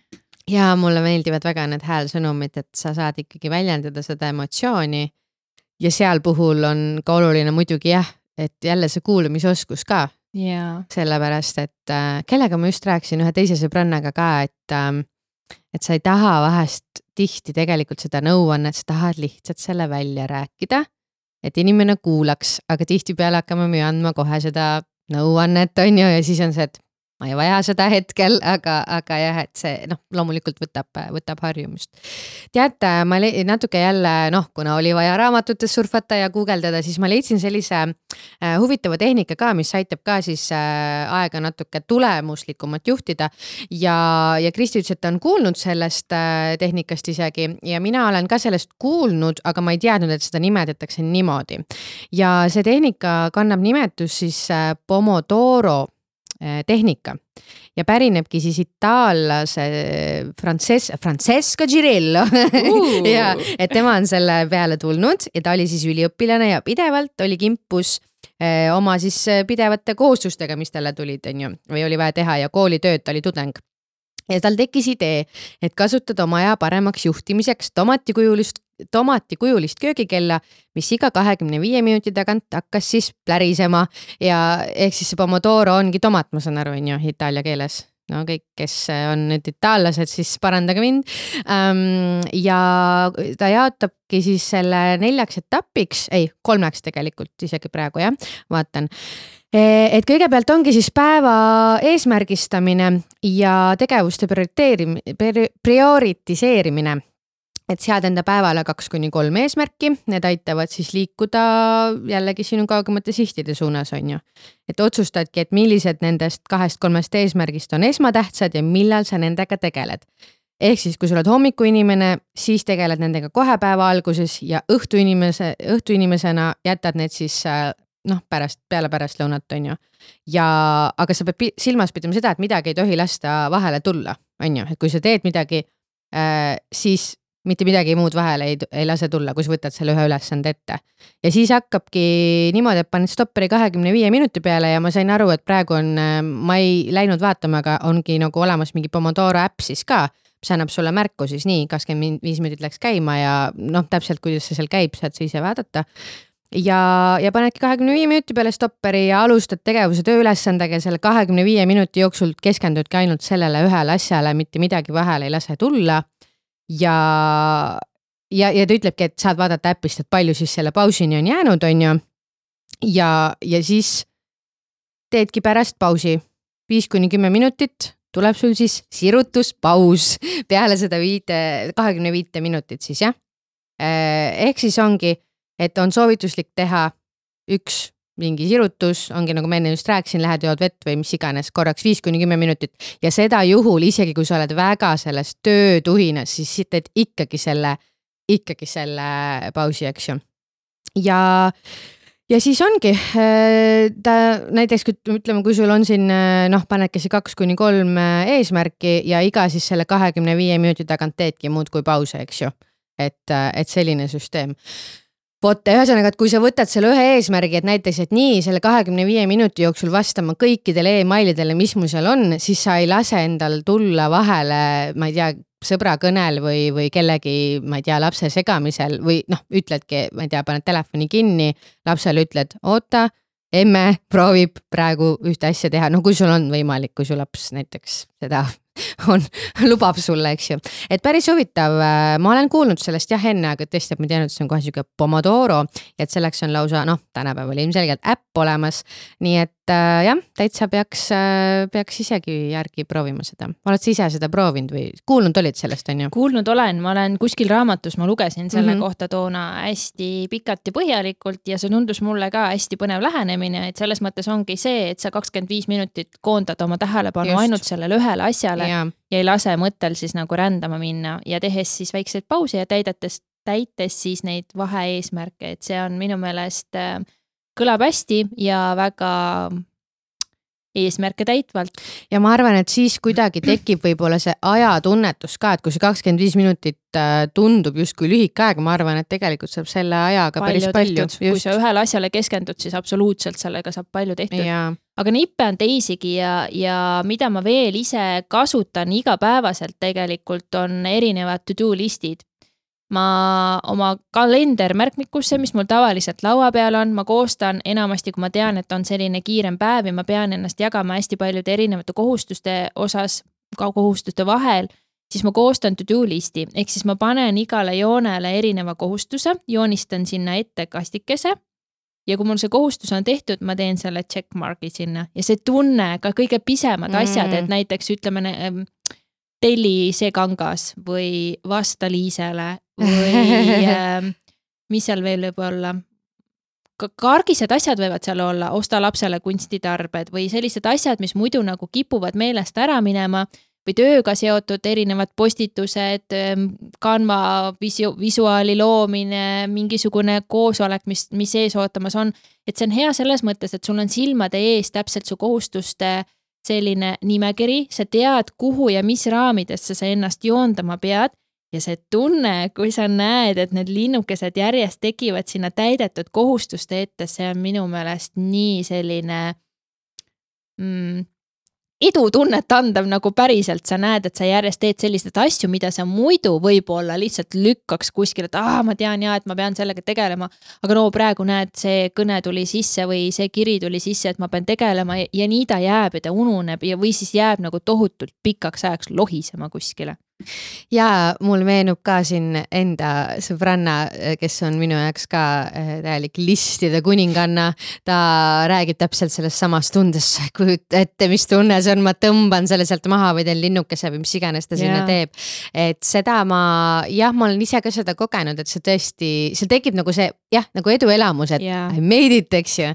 Ja mulle meeldivad väga need häälsõnumid, et sa saad ikkagi väljendada seda emotsiooni. Ja seal puhul on ka oluline muidugi jah, et jälle see kuulumisoskus ka. Yeah. Sellepärast, et äh, kellega ma just rääkisin ühe teise sõbrannaga ka, et, äh, et sa ei taha vahest tihti tegelikult seda nõuannet, sa tahad lihtsalt selle välja rääkida, et inimene kuulaks, aga tihti peale hakkame me andma kohe seda nõuannet, on ju, ja siis on see, et ma ei vaja seda hetkel, aga, aga jah, et see noh, loomulikult võtab, võtab harjumust. Teate, ma natuke jälle, noh, kuna oli vaja raamatutes surfata ja guugeldada, siis ma leidsin sellise äh, huvitava tehnika ka, mis aitab ka siis äh, aega natuke tulemuslikumat juhtida ja, ja Kristi ütles, et ta on kuulnud sellest äh, tehnikast isegi ja mina olen ka sellest kuulnud, aga ma ei teadnud, et seda nimetatakse niimoodi. Ja see tehnika kannab nimetus siis äh, Pomodoro tehnika ja pärinebki siis itaallase Frances, Francesco Girello uh. ja et tema on selle peale tulnud ja ta oli siis üliõpilane ja pidevalt oli kimpus eh, oma siis pidevate kohustustega, mis talle tulid, on ju, või oli vaja teha ja koolitööd, ta oli tudeng. Ja tal tekkis idee, et kasutada oma aja paremaks juhtimiseks tomatikujulist, tomatikujulist köögikella, mis iga kahekümne viie minuti tagant hakkas siis plärisema ja ehk siis see Pomodoro ongi tomat, ma saan aru, on ju, itaalia keeles. No kõik, kes on nüüd itaallased, siis parandage mind. Um, ja ta jaotabki siis selle neljaks etapiks, ei, kolmeks tegelikult isegi praegu, jah, vaatan. Et kõigepealt ongi siis päeva eesmärgistamine ja tegevuste prioritiseerimine. Et sead enda päevale kaks kuni kolm eesmärki, need aitavad siis liikuda jällegi sinu kaugemate sihtide suunas, on ju. Et otsustadki, et millised nendest kahest kolmest eesmärgist on esmatähtsad ja millal sa nendega tegeled. Ehk siis, kui sa oled hommiku inimene, siis tegeled nendega kohe päeva alguses ja õhtu, inimese, õhtu inimesena jätad need siis noh, pärast, peale pärast lõunat on ju. Ja, aga sa pead silmas pidama seda, et midagi ei tohi lasta vahele tulla, on ju, et kui sa teed midagi, äh, siis mitte midagi muud vahele ei, ei lase tulla, kui sa võtad selle ühe ülesande ette. Ja siis hakkabki niimoodi, et paned stopperi kahekümne viie minuti peale ja ma sain aru, et praegu on, ma ei läinud vaatama, aga ongi nagu olemas mingi Pomodoro äpp siis ka, mis annab sulle märku siis nii, kakskümmend viis minutit läks käima ja noh, täpselt kuidas see seal käib, saad sa ise vaadata. Ja, ja panedki kahekümne viie minuti peale stopperi ja alustad tegevuse tööülesandega ja selle kahekümne viie minuti jooksul keskendudki ainult sellele ühele asjale, mitte midagi vahele ei lase tulla. Ja, ja, ja ta ütlebki, et saad vaadata äppist, et palju siis selle pausini on jäänud, on ju. Ja, ja siis teedki pärast pausi viis kuni kümme minutit, tuleb sul siis sirutuspaus peale seda viite, kahekümne viite minutit siis, jah. Ehk siis ongi, et on soovituslik teha üks mingi sirutus, ongi nagu ma enne just rääkisin, lähed jood vett või mis iganes, korraks viis kuni kümme minutit ja seda juhul, isegi kui sa oled väga selles töötuhinas, siis teed ikkagi selle, ikkagi selle pausi, eks ju. Ja, ja siis ongi, ta näiteks ütleme, kui sul on siin, noh, panedki see kaks kuni kolm eesmärki ja iga siis selle kahekümne viie minuti tagant teedki muud kui pause, eks ju, et, et selline süsteem. Vot, ühesõnaga, et kui sa võtad selle ühe eesmärgi, et näiteks, et nii selle kahekümne viie minuti jooksul vastama kõikidele e-mailidele, mis mul seal on, siis sa ei lase endal tulla vahele, ma ei tea, sõbra kõnel või, või kellegi, ma ei tea, lapse segamisel või noh, ütledki, ma ei tea, paned telefoni kinni, lapsele ütled, oota, emme proovib praegu ühte asja teha, no kui sul on võimalik, kui su laps näiteks seda on, lubab sulle, eks ju. Et päris huvitav, ma olen kuulnud sellest jah enne, aga tõesti, et ma tean, et see on kohe siuke Pomodoro ja et selleks on lausa, noh, tänapäeval ilmselgelt äpp olemas. Nii et äh, jah, täitsa peaks, äh, peaks isegi järgi proovima seda. Oled sa ise seda proovinud või kuulnud olid sellest, on ju? Kuulnud olen, ma olen kuskil raamatus, ma lugesin selle mm-hmm. kohta toona hästi pikalt ja põhjalikult ja see tundus mulle ka hästi põnev lähenemine, et selles mõttes ongi see, et sa kakskümmend viis minutit koondad oma tähelepanu Just. ainult sellele ühele asjale ja. ja ei lase mõttel siis nagu rändama minna ja tehes siis väikseid pausi ja täidetes, täites siis neid vahe-eesmärke, et see on minu meelest äh, kõlab hästi ja väga eesmärke täitvalt. Ja ma arvan, et siis kuidagi tekib võib-olla see ajatunnetus ka, et kui see kakskümmend viis minutit tundub justkui lühike aeg, ma arvan, et tegelikult saab selle ajaga palju päris palju. Kui sa ühele asjale keskendud, siis absoluutselt sellega saab palju tehtud. Ja. Aga nippe on teisigi ja, ja mida ma veel ise kasutan igapäevaselt tegelikult on erinevad to-do listid. Ma oma kalender märkmikusse, mis mul tavaliselt laua peal on, ma koostan enamasti, kui ma tean, et on selline kiirem päev ja ma pean ennast jagama hästi paljude erinevate kohustuste osas, ka kohustuste vahel, siis ma koostan to-do listi. Ehk siis ma panen igale joonele erineva kohustuse, joonistan sinna ette kastikese ja kui mul see kohustus on tehtud, ma teen selle checkmarki sinna ja see tunne, ka kõige pisemad mm. asjad, et näiteks ütleme telli see kangas või vasta Liisele või äh, mis seal veel võib olla. Kargised asjad võivad seal olla, osta lapsele kunstitarbed või sellised asjad, mis muidu nagu kipuvad meelest ära minema või tööga seotud erinevad postitused, Canva visu, visuaali loomine, mingisugune koosolek, mis, mis ees ootamas on. Et see on hea selles mõttes, et sul on silmade ees täpselt su kohustuste selline nimekiri, sa tead, kuhu ja mis raamidesse sa ennast joondama pead ja see tunne, kui sa näed, et need linnukesed järjest tekivad sinna täidetud kohustuste ette, see on minu meelest nii selline mm, edutunnet andav nagu päriselt, sa näed, et sa järjest teed sellised asju, mida sa muidu võib-olla lihtsalt lükkaks kuskil, et ah, ma tean ja, et ma pean sellega tegelema, aga no praegu näed, see kõne tuli sisse või see kiri tuli sisse, et ma pean tegelema ja, ja nii ta jääb ja ta ununeb ja või siis jääb nagu tohutult pikaks ajaks lohisema kuskile. Ja mul meenub ka siin enda sõbranna, kes on minu jaoks ka täielik listide kuninganna, ta räägib täpselt sellest samast tundest, kujut ette, mis tunne see on, ma tõmban selle sealt maha või teen linnukese või mis iganes ta sinna yeah. teeb. Et seda ma, jah, ma olen ise ka seda kogenud, et see tõesti, see tekib nagu see, jah, nagu eduelamus, et yeah. I made it, eks ju.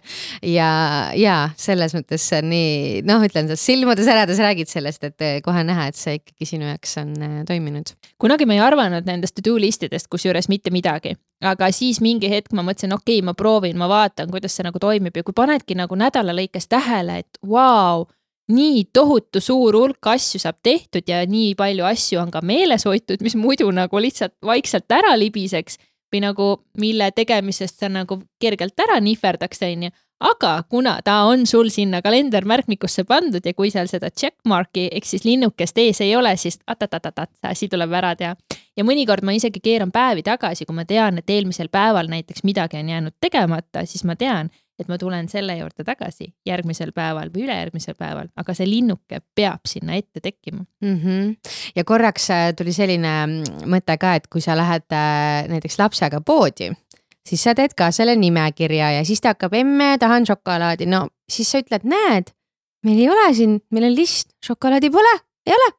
Ja, ja selles mõttes see on nii, noh, ütlen sa silmades ärades räägid sellest, et kohe näha, et see ikkagi sinu jaoks on toiminud. Kunagi ma ei arvanud nendest to-do listidest, kus juures mitte midagi, aga siis mingi hetk ma mõtlesin, okei, okay, ma proovin, ma vaatan, kuidas see nagu toimib ja kui panedki nagu nädala lõikes tähele, et vau, nii tohutu suur hulk asju saab tehtud ja nii palju asju on ka meeles hoitud, mis muidu nagu lihtsalt vaikselt ära libiseks või nagu mille tegemisest sa nagu kergelt ära nihverdaks, on ju. Aga kuna ta on sul sinna kalendermärkmikusse pandud ja kui seal seda checkmarki, ehk siis linnukest ees ei ole, siis atatatat, asi tuleb ära teha. Ja mõnikord ma isegi keeran päevi tagasi, kui ma tean, et eelmisel päeval näiteks midagi on jäänud tegemata, siis ma tean, et ma tulen selle juurde tagasi järgmisel päeval või ülejärgmisel päeval, aga see linnuke peab sinna ette tekkima. Mm-hmm. Ja korraks tuli selline mõte ka, et kui sa lähed näiteks lapsega poodi, siis sa teed ka selle nimekirja ja siis ta hakkab emme, tahan šokolaadi. No siis sa ütled, näed, meil ei ole siin, meil on list, šokolaadi pole, ei ole.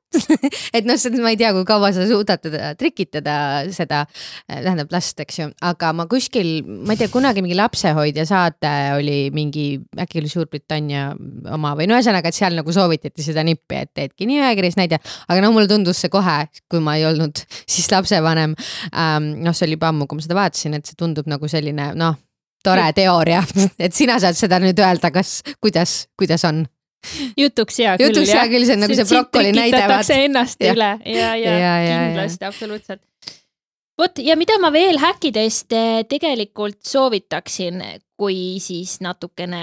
et noh, ma ei tea, kui kaua sa suudad teda trikitada seda, tähendab last, eks ju, aga ma kuskil, ma ei tea, kunagi mingi lapsehoidja saate oli mingi, äkki oli Suurbritannia oma või no ühesõnaga, et seal nagu soovitati seda nippi, et teedki nimekirjas näide, aga no mulle tundus see kohe, kui ma ei olnud siis lapsevanem, ähm, noh, see oli juba ammu, kui ma seda vaatasin, et see tundub nagu selline, noh, tore teooria, et sina saad seda nüüd öelda, kas, kuidas, kuidas on. Jutuks hea küll, Jutuks hea küll, see on nagu see brokoli näide. Tekitatakse ennast ja. üle ja, ja, ja, ja kindlasti, ja. Absoluutselt. Vot, ja mida ma veel häkkidest tegelikult soovitaksin, kui siis natukene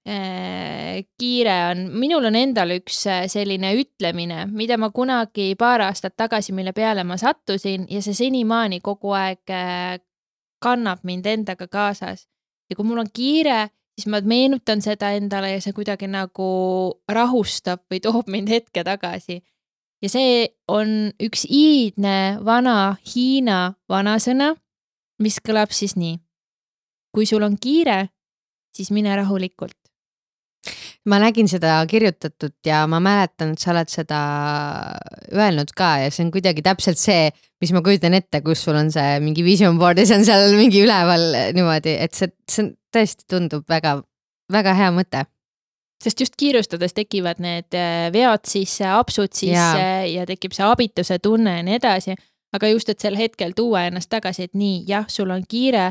äh, kiire on. Minul on endal üks selline ütlemine, mida ma kunagi paar aastat tagasi, mille peale ma sattusin ja see senimaani kogu aeg kannab mind endaga kaasas. Ja kui mul on kiire, siis ma meenutan seda endale ja see kuidagi nagu rahustab või toob mind hetke tagasi. Ja see on üks iidne vana Hiina vanasõna, mis kõlab siis nii. Kui sul on kiire, siis mine rahulikult. Ma nägin seda kirjutatud ja ma mäletan, et sa oled seda öelnud ka ja see on kuidagi täpselt see, mis ma kujutan ette, kus sul on see mingi vision board ja see on seal mingi üleval niimoodi, et see, see tõesti tundub väga, väga hea mõte. Sest just kiirustades tekivad need vead sisse, apsud sisse ja, ja tekib see abituse tunne ja nii edasi, aga just, et sel hetkel tuua ennast tagasi, et nii, jah, sul on kiire,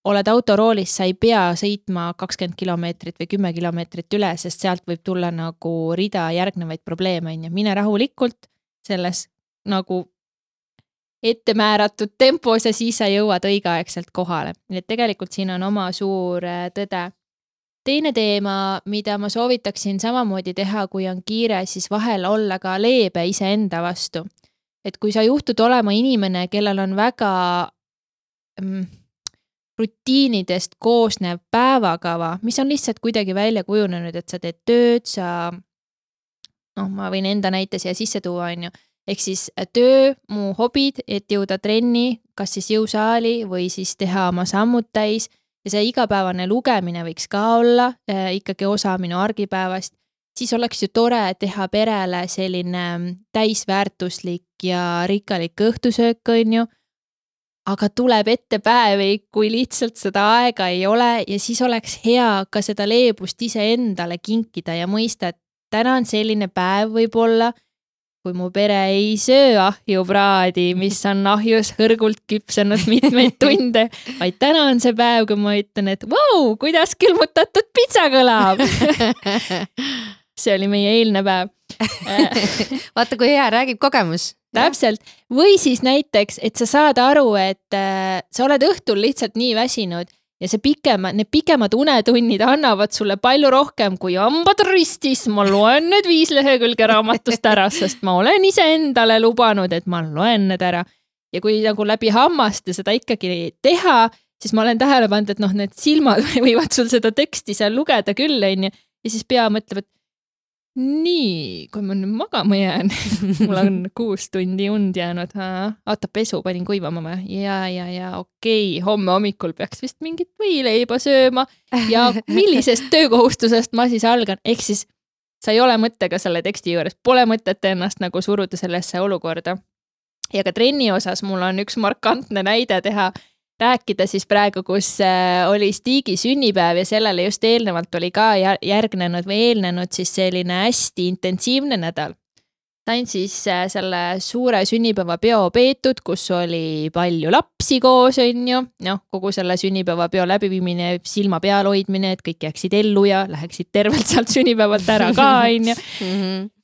oled autoroolis, sa ei pea sõitma kakskümmend kilomeetrit või kümme kilomeetrit üle, sest sealt võib tulla nagu rida järgnevaid probleeme. Mine rahulikult selles nagu ettemääratud tempos ja siis sa jõuad õigeaegselt kohale. Nii et tegelikult siin on oma suur tõde. Teine teema, mida ma soovitaksin samamoodi teha, kui on kiire, siis vahel olla ka leebe iseenda vastu. Et kui sa juhtud olema inimene, kellel on väga mm, rutiinidest koosnev päevakava, mis on lihtsalt kuidagi välja kujunenud, et sa teed tööd, sa, noh, ma võin enda näite siia sisse tuua, on ju, ehk siis töö, mu hobid, et jõuda trenni, kas siis jõusaali või siis teha oma sammud täis ja see igapäevane lugemine võiks ka olla äh, ikkagi osa minu argipäevast, siis oleks ju tore teha perele selline täisväärtuslik ja rikkalik õhtusöök, on ju, aga tuleb ette päevi, kui lihtsalt seda aega ei ole ja siis oleks hea ka seda leebust ise endale kinkida ja mõista, et täna on selline päev võib-olla, kui mu pere ei söö ahjupraadi, mis on ahjus hõrgult küpsenud mitmeid tunde, vaid täna on see päev, kui ma ütlen, et vau, kuidas külmutatud pitsa kõlab. See oli meie eilne päev. Vaata, kui hea, räägib kogemus. Täpselt. Või siis näiteks, et sa saad aru, et äh, sa oled õhtul lihtsalt nii väsinud ja see pikema, need pikemad unetunnid annavad sulle palju rohkem kui hambad ristis. Ma loen need viis lehekülge raamatust ära, sest ma olen ise endale lubanud, et ma loen need ära. Ja kui nagu läbi hammaste seda ikkagi teha, siis ma olen tähele pannud, et noh, need silmad võivad sul seda teksti seal lugeda küll, on ju. Ja siis pea mõtleb, et nii, kui ma nüüd magama jään, mul on kuus tundi und jäänud, aata pesu, panin kuivama või? Ja, ja, ja okei, homme hommikul peaks vist mingit võileiba sööma ja millisest töökohustusest ma siis algan, ehk siis sa ei ole mõttega selle teksti juures, pole mõtet ennast nagu suruda sellesse olukorda. Ja ka trenni osas mul on üks markantne näide teha, rääkida siis praegu, kus oli Stigi sünnipäev ja sellele just eelnevalt oli ka järgnenud või eelnenud siis selline hästi intensiivne nädal. sain siis selle suure sünnipäevapeo peetud, kus oli palju lapsi koos, on ju. Noh, kogu selle sünnipäevapeo läbiviimine, silma peal hoidmine, et kõik jääksid ellu ja läheksid tervelt sealt sünnipäevalt ära ka, on ju.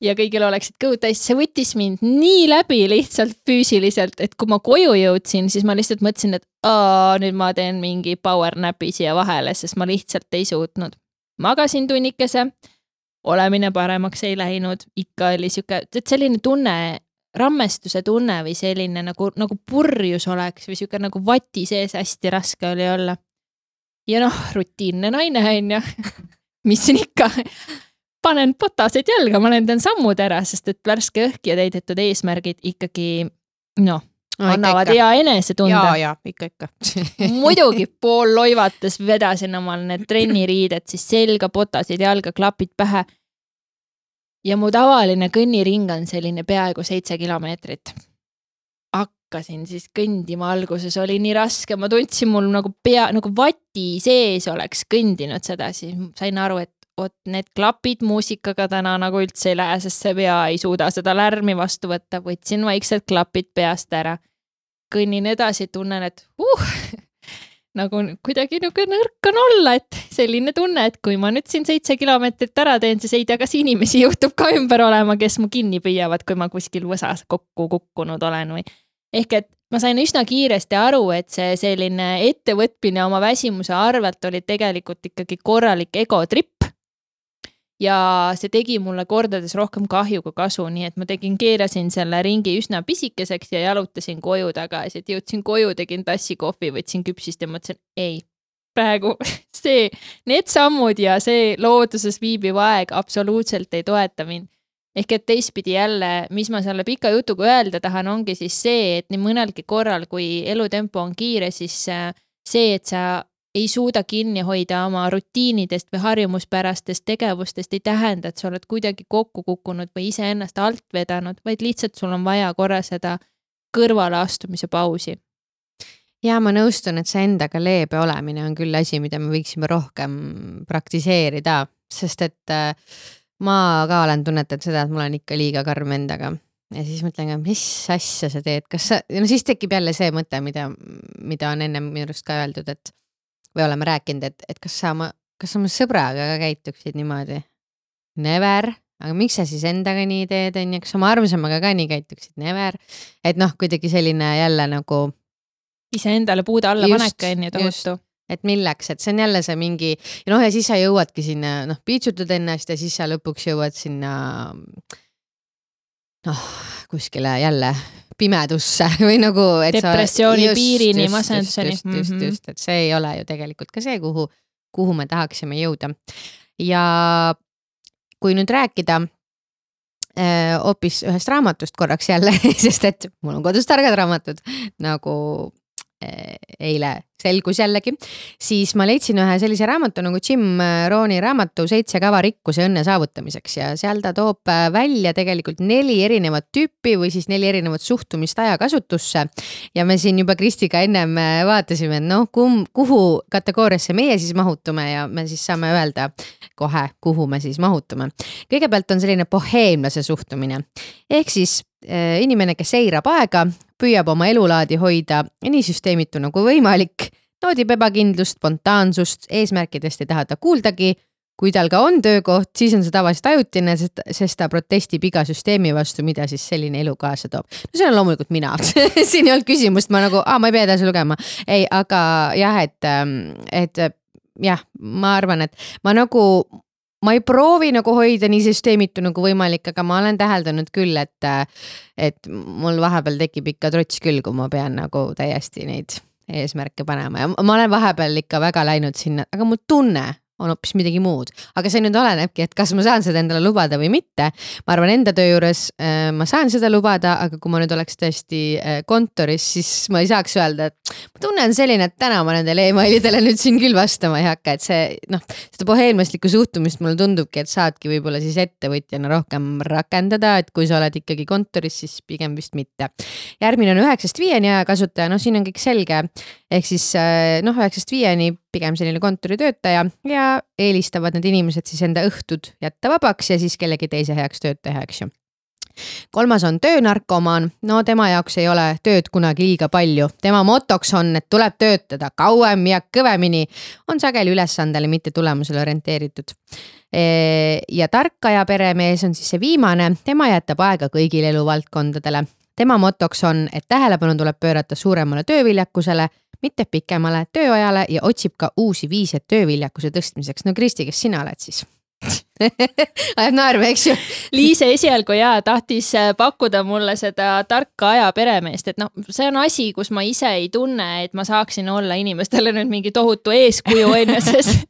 Ja kõigil oleksid kõud täis. See võttis mind nii läbi lihtsalt füüsiliselt, et kui ma koju jõudsin, siis ma lihtsalt mõtlesin, et aa, nüüd ma teen mingi power napi siia vahele, sest ma lihtsalt ei suutnud. Magasin tunnikese. Olemine paremaks ei läinud, ikka oli siuke, et selline tunne, rammestuse tunne või selline nagu, nagu purjus oleks või siuke nagu vati sees hästi raske oli olla. Ja noh, rutiinne naine on ja mis siin ikka, panen potased jalga, ma lendan sammud ära, sest et värske õhk ja täidetud eesmärgid ikkagi, noh, no, annavad ikka, hea enese tunda. Jaa, jaa, ikka, ikka. Muidugi pool loivates vedasin omal need trenniriided, siis selga, potasid, jalga, klapid pähe. Ja mu tavaline kõnniring on selline peaaegu seitse kilomeetrit. Hakkasin siis kõndima alguses, oli nii raske, ma tundsin mul nagu pea, nagu vati sees oleks kõndinud seda, siis sain aru, et oot, need klapid muusikaga täna nagu üldse ei lähe, sest see pea ei suuda seda lärmi vastu võtta, võtsin vaikselt klapid peast ära. Kõnnin edasi, tunnen, et uh, nagu kuidagi nagu nõrk on olla, et selline tunne, et kui ma nüüd siin seitse kilomeetrit ära teen, siis ei tea, kas inimesi juhtub ka ümber olema, kes mu kinni püüavad, kui ma kuskil võsas kokku kukkunud olen või. Ehk et ma sain üsna kiiresti aru, et see selline ettevõtmine oma väsimuse arvelt oli tegelikult ikkagi korralik egotripp. Ja see tegi mulle kordades rohkem kahju kui kasu, nii et ma tegin, keerasin selle ringi üsna pisikeseks ja jalutasin koju tagasi, et jõudsin koju, tegin tassi kohvi, võtsin küpsist ja mõtlesin, ei, praegu see, need sammud ja see looduses viibiv aeg absoluutselt ei toeta mind. Ehk et teistpidi jälle, mis ma selle pika jutuga öelda tahan, ongi siis see, et nii mõnelgi korral, kui elutempo on kiire, siis see, et sa ei suuda kinni hoida oma rutiinidest või harjumuspärastest tegevustest, ei tähenda, et sa oled kuidagi kokku kukkunud või ise ennast alt vedanud, vaid lihtsalt sul on vaja korra seda kõrvale astumise pausi. Ja ma nõustun, et see endaga leebe olemine on küll asi, mida me võiksime rohkem praktiseerida, sest et ma ka olen tunnetanud seda, et mul on ikka liiga karm endaga. Ja siis mõtlen, mis asja sa teed, kas sa, no siis tekib jälle see mõte, mida, mida on enne minust ka öeldud, et või oleme rääkinud, et, et kas sa oma, kas oma sõbraga ka käituksid niimoodi? Never, aga miks sa siis endaga nii teed, on ja kas oma armsamaga ka nii käituksid? Never, et noh, kuidagi selline jälle nagu ise endale puuda alla paneka enne tohutu. Et milleks, et see on jälle see mingi, ja noh, ja siis sa jõuadki sinna, noh, piitsutad ennast ja siis sa lõpuks jõuad sinna noh, kuskile jälle pimedusse või nagu et depressiooni sa, just, piirini, just, masenduseni. Just, just, just, just, et see ei ole ju tegelikult ka see, kuhu, kuhu me tahaksime jõuda. Ja kui nüüd rääkida äh, hoopis ühest raamatust korraks jälle, sest et mul on kodus targad raamatud, nagu äh, eile selgus jällegi, siis ma leidsin ühe sellise raamatu nagu Jim Rohni raamatu Seitse kava rikkuse õnne saavutamiseks ja seal ta toob välja tegelikult neli erinevat tüüpi või siis neli erinevat suhtumist ajakasutusse ja me siin juba Kristiga ennem vaatasime, et noh, kum, kuhu kategooriasse meie siis mahutume ja me siis saame öelda kohe, kuhu me siis mahutume. Kõigepealt on selline boheemlase suhtumine, ehk siis äh, inimene, kes seirab aega, püüab oma elulaadi hoida nii süsteemitu nagu võimalik, noodib ebakindlust, spontaansust, eesmärkidest ei taha ta kuuldagi, kui tal ka on töökoht, siis on see tavaliselt ajutine, sest ta protestib iga süsteemi vastu, mida siis selline elu kaasa toob. No see on loomulikult mina, siin ei olnud küsimust, ma nagu, aa, ma ei pea edasi lugema. Ei, aga jah, et, et jah, ma arvan, et ma nagu ma ei proovi nagu hoida nii süsteemitu nagu võimalik, aga ma olen täheldanud küll, et, et mul vahepeal tekib ikka trots küll, kui ma pean nagu täiesti neid eesmärke panema ja ma olen vahepeal ikka väga läinud sinna, aga mu tunne on hoopis midagi muud. Aga see nüüd olenebki, et kas ma saan seda endale lubada või mitte. Ma arvan, enda töö juures äh, ma saan seda lubada, aga kui ma nüüd oleks tõesti äh, kontoris, siis ma ei saaks öelda, et ma tunnen selline, et täna ma nendele e-mailidele nüüd siin küll vastama ei hakka, et see, noh, seda boheemlaslikku suhtumist mulle tundubki, et saadki võib-olla siis ettevõtjana rohkem rakendada, et kui sa oled ikkagi kontoris, siis pigem vist mitte. Järgmine on üheksast viieni ajakasutaja, noh, siin on kõik selge, ehk siis äh, noh, üheksast viieni pigem selline kontoritöötaja ja eelistavad need inimesed siis enda õhtud jätta vabaks ja siis kellegi teise heaks tööd teha, eks ju. kolmas on töönarkomaan, no tema jaoks ei ole tööd kunagi liiga palju. Tema motoks on, et tuleb töötada kauem ja kõvemini, on sageli ülesandele, mitte tulemusele orienteeritud. Ja tarkaja peremees on siis see viimane, tema jätab aega kõigile eluvaldkondadele. Tema motoks on, et tähelepanu tuleb pöörata suuremale tööviljakusele, mitte pikemale tööajale ja otsib ka uusi viise tööviljakuse tõstmiseks. No Kristi, kes sina oled siis? Ajab naerma, eks ju? Liise esialgu jaa, tahtis pakkuda mulle seda tarka aja peremeest, et noh, see on asi, kus ma ise ei tunne, et ma saaksin olla inimestele nüüd mingi tohutu eeskuju enne, sest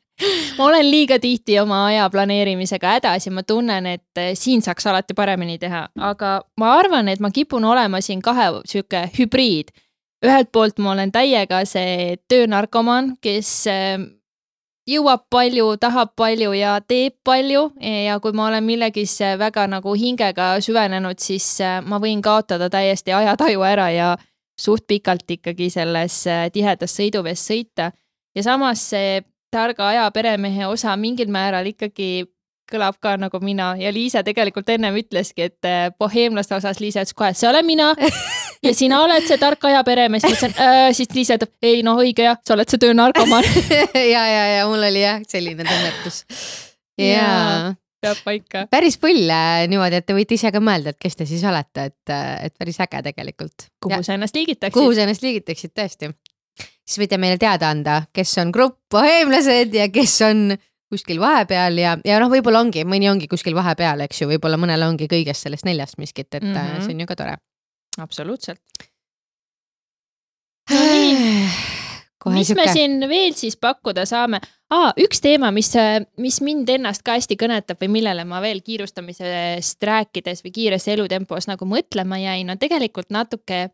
ma olen liiga tihti oma aja planeerimisega hädas ja ma tunnen, et siin saaks alati paremini teha, aga ma arvan, et ma kipun olema siin kahe süke hübriid. Ühelt poolt ma olen täiega see töönarkomaan, kes jõuab palju, tahab palju ja teeb palju ja kui ma olen millegis väga nagu hingega süvenenud, siis ma võin kaotada täiesti ajataju ära ja suht pikalt ikkagi selles tihedas sõiduvees sõita. Ja samas see targa aja peremehe osa mingil määral ikkagi kõlab ka nagu mina ja Liisa tegelikult ennem ütleski, et boheemlaste osas Liisa ütles kohe, see olen mina ja sina oled see tarka aja peremees, mõtlesin, äh, siis Liisa ütleb, ei no õige jah, sa oled see töönarkomaan. ja, ja, ja mul oli jah selline tunnetus. Ja peab paika. Päris pull niimoodi, et te võite ise ka mõelda, et kes te siis olete, et, et päris äge tegelikult. Kuhu ja, sa ennast liigitaksid? Kuhu sa ennast liigitaksid, tõesti. Siis võite meile teada anda, kes on grupp boheemlased ja kes on kuskil vahepeal ja, ja noh, võib-olla ongi, mõni ongi kuskil vahepeal, eks ju, võib-olla mõnele ongi kõigest sellest neljast miskit, et mm -hmm. see on ju ka tore. Absoluutselt. No nii, mis süke. Me siin veel siis pakkuda saame? Aa, üks teema, mis, mis mind ennast ka hästi kõnetab või millele ma veel kiirustamisest rääkides või kiires elutempos nagu mõtlema jäin, on tegelikult natuke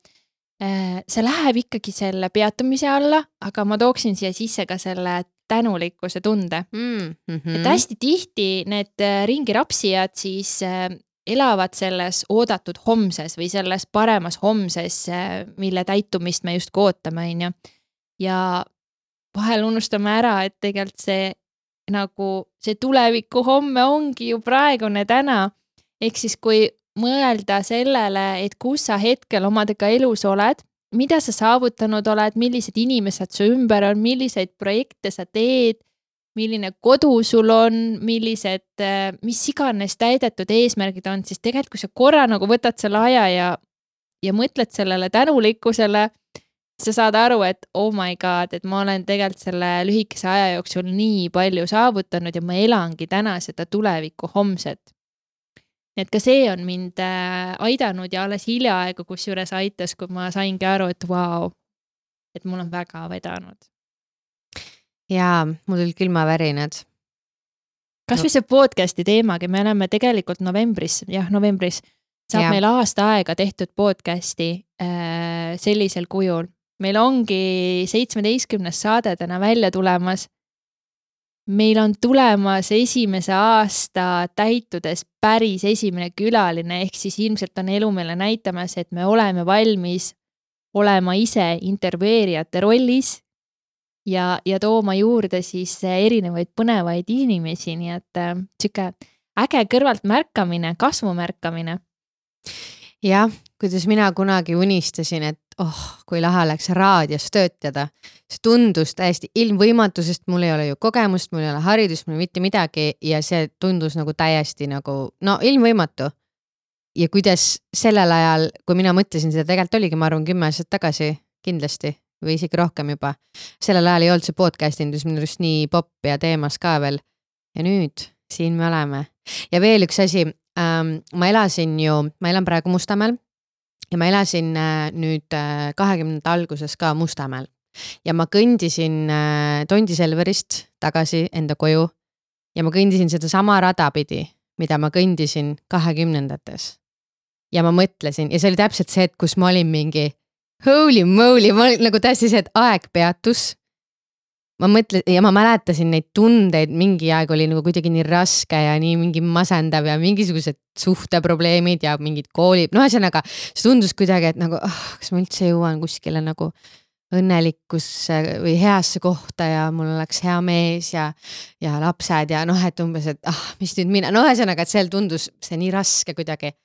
see läheb ikkagi selle peatumise alla, aga ma tooksin siia sisse ka selle tänulikkuse tunde. Mm -hmm. Et hästi tihti need ringirapsijad siis elavad selles oodatud homses või selles paremas homses, mille täitumist me just ootame, on ju. Ja vahel unustame ära, et tegelikult see nagu see tuleviku homme ongi ju praegune täna. Ehk siis kui mõelda sellele, et kus sa hetkel omadega elus oled, mida sa saavutanud oled, millised inimesed su ümber on, milliseid projekte sa teed, milline kodu sul on, millised, mis iganes täidetud eesmärgid on, siis tegelikult kui sa korra nagu võtad selle aja ja, ja mõtled sellele tänulikkusele, sa saad aru, et oh my god, et ma olen tegelikult selle lühikese aja jooksul nii palju saavutanud ja ma elangi täna seda tuleviku homset. Et ka see on mind aidanud ja alles hiljaaegu, kus juures aitas, kui ma saingi aru, et vau, wow, et mul on väga vedanud. Jaa, mul oli külmavärinad. Kas või see podcasti teemagi, me oleme tegelikult novembris, jah, novembris, saab ja. Meil aasta aega tehtud podcasti äh, sellisel kujul. Meil ongi seitsmeteistkümnes saade täna välja tulemas. Meil on tulemas esimese aasta täitudes päris esimene külaline, ehk siis ilmselt on elu meile näitamas, et me oleme valmis olema ise intervjueerijate rollis ja, ja tooma juurde siis erinevaid põnevaid inimesi, nii et äh, siuke äge kõrvalt märkamine, kasvu märkamine. Jah, kuidas mina kunagi unistasin, et oh, kui lahe oleks raadios töötada. See tundus täiesti ilmvõimatu, sest mul ei ole ju kogemust, mul ei ole haridust, mul ei mitte midagi ja see tundus nagu täiesti nagu, no ilmvõimatu. Ja kuidas sellel ajal, kui mina mõtlesin seda, tegelikult oligi, ma arvan, kümme aastat tagasi kindlasti või isegi rohkem juba. Sellel ajal ei olnud see podcast indus minu just nii pop ja teemas ka veel. Ja nüüd siin me oleme. Ja veel üks asi, ähm, ma elasin ju, ma elan praegu Mustamäel ja ma elasin äh, nüüd äh, kahekümnenda alguses ka Mustamäel ja ma kõndisin äh, Tondi Selverist tagasi enda koju ja ma kõndisin seda sama rada pidi, mida ma kõndisin kahekümnendates. Ja ma mõtlesin ja see oli täpselt see, et kus ma olin mingi holy moly, ma olin nagu täiesti see, et aeg peatus. Ma mõtlen ja ma mäletasin neid tundeid, mingi aeg oli nagu kuidagi nii raske ja nii mingi masendav ja mingisugused suhteprobleemid ja mingid koolid. No ühesõnaga, see tundus kuidagi, et nagu, oh, kas ma üldse jõuan kuskile nagu õnnelikkusse või heasse kohta ja mul oleks hea mees ja, ja lapsed ja noh, et umbes, et ah, mis nüüd mina. No ühesõnaga, et seal tundus see nii raske kuidagi.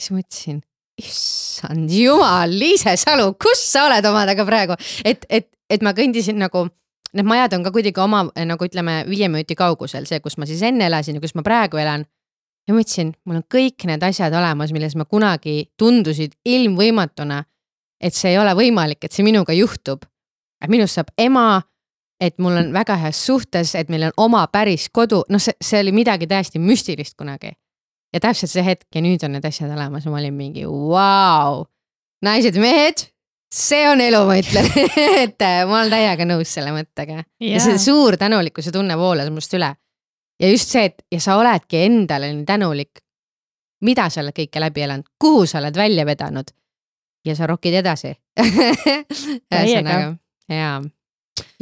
siis mõtlesin, issand jumal, Liise Salu, kus sa oled omadega praegu? Et, et, et ma kõndisin nagu, need majad on ka kuidagi oma, nagu ütleme, viie minuti kaugusel, see, kus ma siis enne elasin ja kus ma praegu elan. Ja mõtlesin, mul on kõik need asjad olemas, milles ma kunagi tundusid ilmvõimatuna, et see ei ole võimalik, et see minuga juhtub. Et minust saab ema, et mul on väga heas suhtes, et meil on oma päris kodu. No see, see oli midagi täiesti müstilist kunagi. Ja täpselt see hetk ja nüüd on need asjad olemas. Ma olin mingi, vau, naised, mehed, see on elu, ma ütlen. et ma olen täiega nõus selle mõttega. Ja, ja see suur tänulikkuse tunne voolas must üle. Ja just see, et ja sa oledki endale nii tänulik, mida sa oled kõike läbi elanud, kuhu sa oled välja vedanud ja sa rokid edasi. Täiega. Jaa.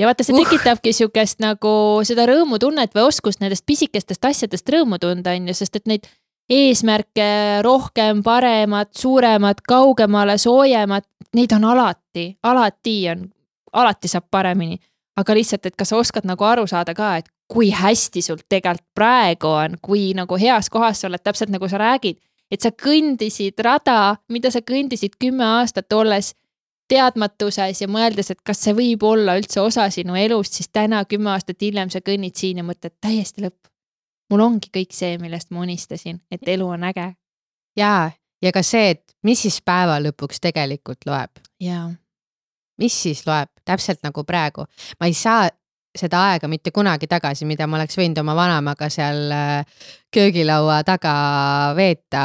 Ja vaata, see tekitabki uh. siukest nagu seda rõõmutunnet või oskust nendest pisikestest asjadest rõõmu tunda, on ju, sest et neid eesmärke rohkem, paremad, suuremad, kaugemale, soojemad, neid on alati, alati on, alati saab paremini. Aga lihtsalt, et kas sa oskad nagu aru saada ka, et kui hästi sul tegelikult praegu on, kui nagu heas kohas sa oled, täpselt nagu sa räägid, et sa kõndisid rada, mida sa kõndisid kümme aastat olles teadmatuses ja mõeldes, et kas see võib olla üldse osa sinu elust, siis täna kümme aastat hiljem sa kõnnid siin ja mõtled täiesti lõpp. Mul ongi kõik see, millest ma unistasin, et elu on äge. Jaa, ja ka see, et mis siis päeva lõpuks tegelikult loeb. Jaa. Mis siis loeb, täpselt nagu praegu. Ma ei saa seda aega mitte kunagi tagasi, mida ma oleks võinud oma vanemaga seal köögilaua taga veeta,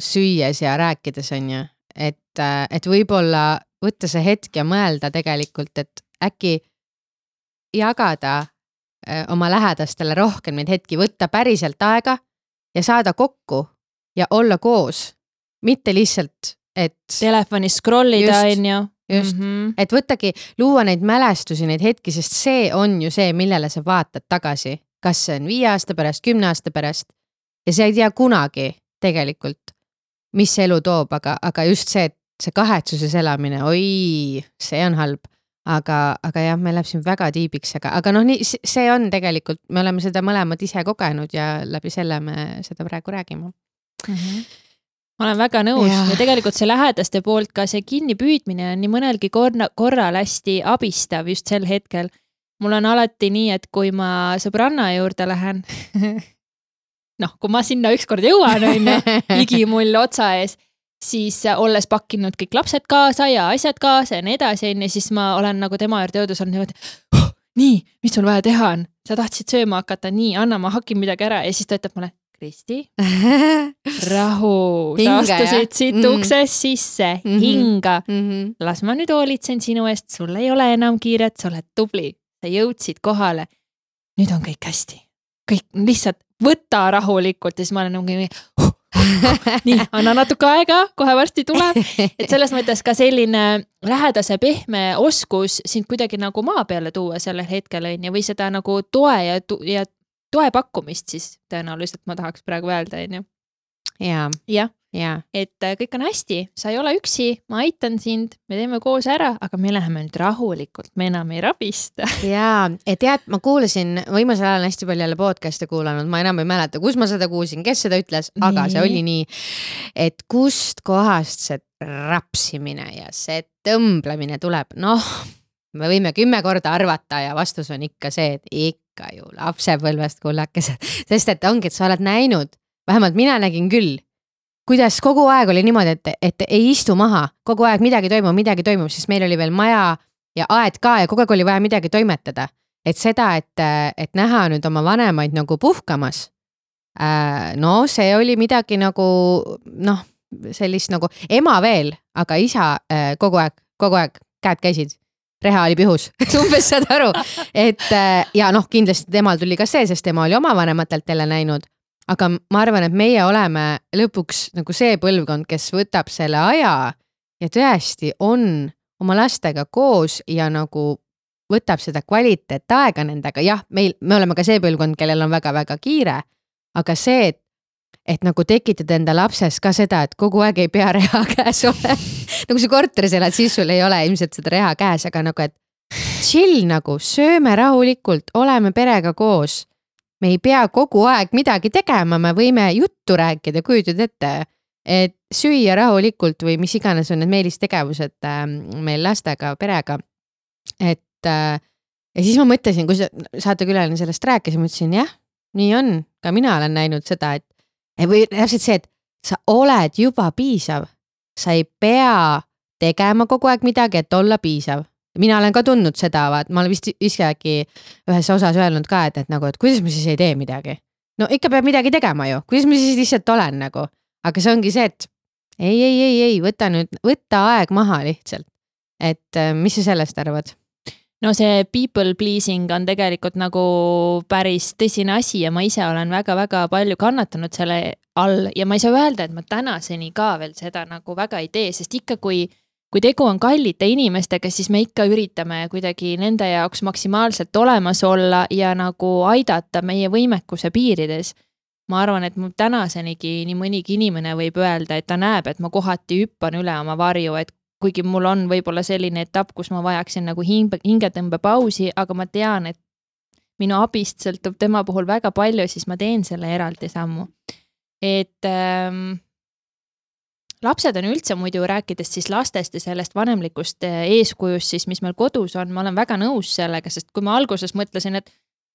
süües ja rääkides on ju. Et, et võib-olla võtta see hetk ja mõelda tegelikult, et äkki jagada oma lähedastele rohkem neid hetki, võtta päriselt aega ja saada kokku ja olla koos. Mitte lihtsalt, et telefonis scrollida on ju. Just, mm-hmm. et võttagi luua neid mälestusi, neid hetki, sest see on ju see, millele sa vaatad tagasi. Kas see on viie aasta pärast, kümne aasta pärast ja see ei tea kunagi tegelikult, mis see elu toob, aga, aga just see, et see kahetsuses elamine, oi, see on halb. Aga, aga jah, me läheb siin väga tiibiks, aga, aga noh, nii, see on tegelikult, me oleme seda mõlemad ise kogenud ja läbi selle me seda praegu räägime. Mm-hmm. Ma olen väga nõus ja. ja tegelikult see lähedaste poolt ka see kinni püüdmine on nii mõnelgi korra, korral hästi abistav just sel hetkel. Mul on alati nii, et kui ma sõbranna juurde lähen, noh, kui ma sinna ükskord jõuan, on ju, igi mull otsa ees, siis olles pakkinud kõik lapsed kaasa ja asjad kaasa ja nii edasi, ja siis ma olen nagu tema juurde jõudus olnud niimoodi, oh, nii, mis sul vaja teha on? Sa tahtsid sööma hakata, nii, anna, ma hakin midagi ära ja siis ta ütleb mulle, Kristi, rahu, sa astusid siit mm. ukses sisse, mm-hmm. hinga, mm-hmm. las ma nüüd hoolitsen sinu eest, sul ei ole enam kiiret, sa oled tubli, sa jõudsid kohale, nüüd on kõik hästi, kõik lihtsalt võta rahulikult ja siis ma olen nagu nii, huh, nii, anna natuke aega, kohe varsti tuleb, et selles mõttes ka selline lähedase pehme oskus sind kuidagi nagu maa peale tuua sellel hetkel on ja või seda nagu toe ja, ja toe pakkumist siis tõenäoliselt ma tahaks praegu öelda, on ju. Ja, ja. ja, et kõik on hästi, sa ei ole üksi, ma aitan sind, me teeme koos ära, aga me läheme nüüd rahulikult, me enam ei rabista. Ja, et tead, ma kuulasin, viimasel ajal hästi palju jälle podcast'e kuulanud, ma enam ei mäleta, kus ma seda kuulsin, kes seda ütles, aga nii. See oli nii, et kust kohast see rapsimine ja see tõmblemine tuleb, noh, me võime kümme korda arvata ja vastus on ikka see, et ikka ju lapsepõlvest kullakesed, sest et ongi, et sa oled näinud, vähemalt mina nägin küll, kuidas kogu aeg oli niimoodi, et, et ei istu maha, kogu aeg midagi toimub, midagi toimub, sest meil oli veel maja ja aed ka ja kogu aeg oli vaja midagi toimetada. Et seda, et, et näha nüüd oma vanemaid nagu puhkamas, no see oli midagi nagu, noh, sellist nagu ema veel, aga isa kogu aeg, kogu aeg käed käisid. Reha oli pihus, umbes saad aru, et ja noh, kindlasti temal tuli ka see, sest tema oli oma vanematelt jälle näinud, aga ma arvan, et meie oleme lõpuks nagu see põlvkond, kes võtab selle aja ja tõesti on oma lastega koos ja nagu võtab seda kvaliteet aega nendega, jah, meil, me oleme ka see põlvkond, kellel on väga-väga kiire, aga see, et et nagu tekitada enda lapses ka seda, et kogu aeg ei pea reha käes ole. Nagu see korteris elad, siis sul ei ole ilmselt seda reha käes, aga nagu, et chill nagu, sööme rahulikult, oleme perega koos. Me ei pea kogu aeg midagi tegema, me võime juttu rääkida, kujutad ette, et süüa rahulikult või mis iganes on need meelistegevused äh, meil lastega, perega. Et äh, ja siis ma mõtlesin, kui saatekülaline sellest rääkis, ma mõtlesin, jah, nii on, ka mina olen näinud seda, et või täpselt see, et sa oled juba piisav, sa ei pea tegema kogu aeg midagi, et olla piisav. Mina olen ka tundnud seda, vaat ma olen vist isegi ühes osas öelnud ka, et, et nagu, et kuidas ma siis ei tee midagi. No ikka peab midagi tegema ju, kuidas ma siis lihtsalt olen nagu. Aga see ongi see, et ei, ei, ei, ei, võta nüüd, võta aeg maha lihtsalt. Et mis sa sellest arvad? No see people pleasing on tegelikult nagu päris tõsine asi ja ma ise olen väga-väga palju kannatanud selle all ja ma ei saa öelda, et ma tänaseni ka veel seda nagu väga ei tee, sest ikka kui, kui tegu on kallite inimestega, siis me ikka üritame kuidagi nende jaoks maksimaalselt olemas olla ja nagu aidata meie võimekuse piirides. Ma arvan, et mu tänasenigi nii mõnigi inimene võib öelda, et ta näeb, et ma kohati hüppan üle oma varju, et kuigi mul on võib-olla selline etapp, kus ma vajaksin nagu hingetõmbe pausi, aga ma tean, et minu abist sõltub tema puhul väga palju, siis ma teen selle eraldi sammu. Et ähm, lapsed on üldse muidu rääkides siis lastest ja sellest vanemlikust eeskujust, siis mis meil kodus on, ma olen väga nõus sellega, sest kui ma alguses mõtlesin, et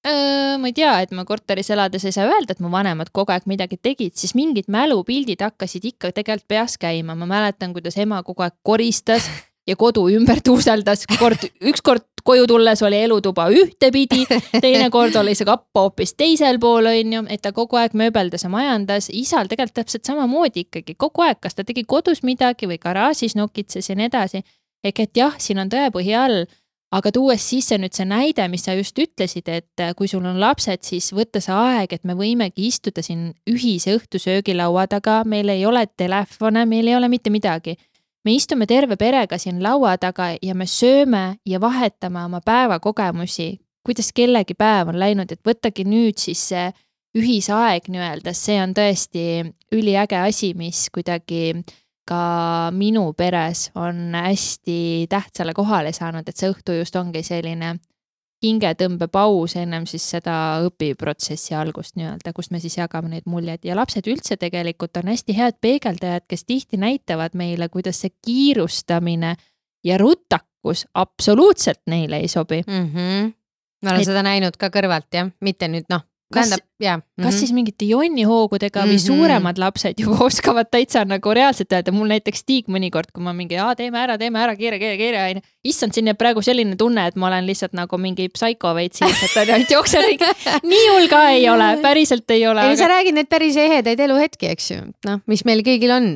äh, ma ei tea, et ma korteris elades ei saa öelda, et mu vanemad kogu aeg midagi tegid, siis mingid mälupildid hakkasid ikka tegelikult peas käima. Ma mäletan, kuidas ema kogu aeg koristas ja kodu ümber tuuseldas. Kord, üks kord koju tulles oli elutuba ühtepidi, teine kord oli see kappa hoopis teisel pool, on ju, et ta kogu aeg mööbeldas ja majandas. Isal tegelikult täpselt samamoodi ikkagi kogu aeg, kas ta tegi kodus midagi või garaažis nokitses ja nii edasi. Ehk et jah, siin on tõepõhi all, aga tuues sisse nüüd see näide, mis sa just ütlesid, et kui sul on lapsed, siis võtta see aeg, et me võimegi istuda siin ühise õhtusöögilaua taga, meil ei ole telefone, meil ei ole mitte midagi. Me istume terve perega siin laua taga ja me sööme ja vahetame oma päevakogemusi, kuidas kellegi päev on läinud, et võttagi nüüd siis see ühisaeg nii-öelda, see on tõesti üliäge asi, mis kuidagi ka minu peres on hästi tähtsale kohale saanud, et see õhtu just ongi selline hingetõmbe paus ennem siis seda õpiprotsessi algust nii-öelda, kus me siis jagame neid muljed ja lapsed üldse tegelikult on hästi head peegeldajad, kes tihti näitavad meile, kuidas see kiirustamine ja rutakus absoluutselt neile ei sobi. Mm-hmm. Ma olen et... seda näinud ka kõrvalt, jah, mitte nüüd noh. Kas, ja. mm-hmm. kas siis mingite jonnihoogudega või mm-hmm. suuremad lapsed juba oskavad täitsa nagu reaalselt öelda, mul näiteks Stiig mõnikord, kui ma mingi, aa, teeme ära, teeme ära, kiire, kiire, kiire, aine. Issand, siin jääb praegu selline tunne, et ma olen lihtsalt nagu mingi psyko veits siis, et on ainult jookserik. Nii hull ka ei ole, päriselt ei ole. Ei, aga... sa räägid need päris ehedaid eluhetki, eks ju, noh, mis meil kõigil on.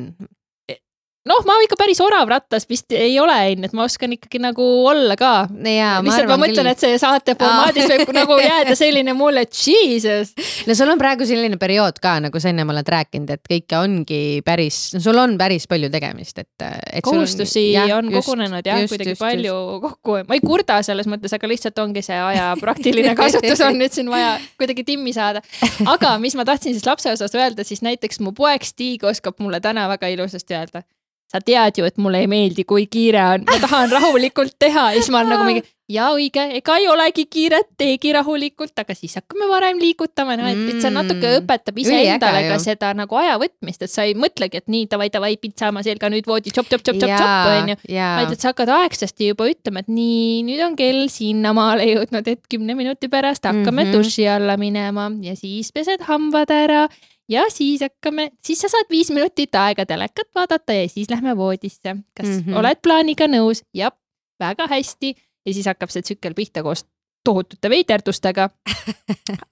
Noh, ma ikka päris orav rattas vist ei ole, et ma oskan ikkagi nagu olla ka. Ja, ma lihtsalt ma mõtlen, küll. Et see saate formaadis võib nagu jääda selline mulle, et Jesus. No sul on praegu selline periood ka, nagu sa enne ma oled rääkinud, et kõike ongi päris, no sul on päris palju tegemist. Et, et kohustusi on, jah, on just, kogunenud jah, just, kuidagi just, palju just. kokku. Ma ei kurda selles mõttes, aga lihtsalt ongi see aja praktiline kasutus on nüüd siin vaja kuidagi timmi saada. Aga mis ma tahtsin siis lapse osas öelda, siis näiteks mu poeg Stiig oskab mulle täna väga ilusasti öelda. Sa tead ju, et mulle ei meeldi, kui kiire on. Ma tahan rahulikult teha. Ja siis ma olen nagu mingi, ja õige, ega ei olegi kiiret, teegi rahulikult, aga siis hakkame varem liigutama. No, et see natuke õpetab ise endale ka seda nagu aja võtmist, et sa ei mõtlegi, et nii, tavai, tavai, pitsama selga nüüd voodi, tšop, tšop, tšop, tšop, on ju. Vaid, et sa hakkad aegsasti juba ütlema, et nii, nüüd on kell sinna maale jõudnud, et kümne minuti pärast hakkame mm-hmm. duši alla minema ja siis pesed hambad ära. Ja siis hakkame, siis sa saad viis minutit aega telekat vaadata ja siis lähme voodisse. Kas mm-hmm. oled plaaniga nõus? Jah, väga hästi. Ja siis hakkab see tsükkel pihta koos tohutute veiterdustega.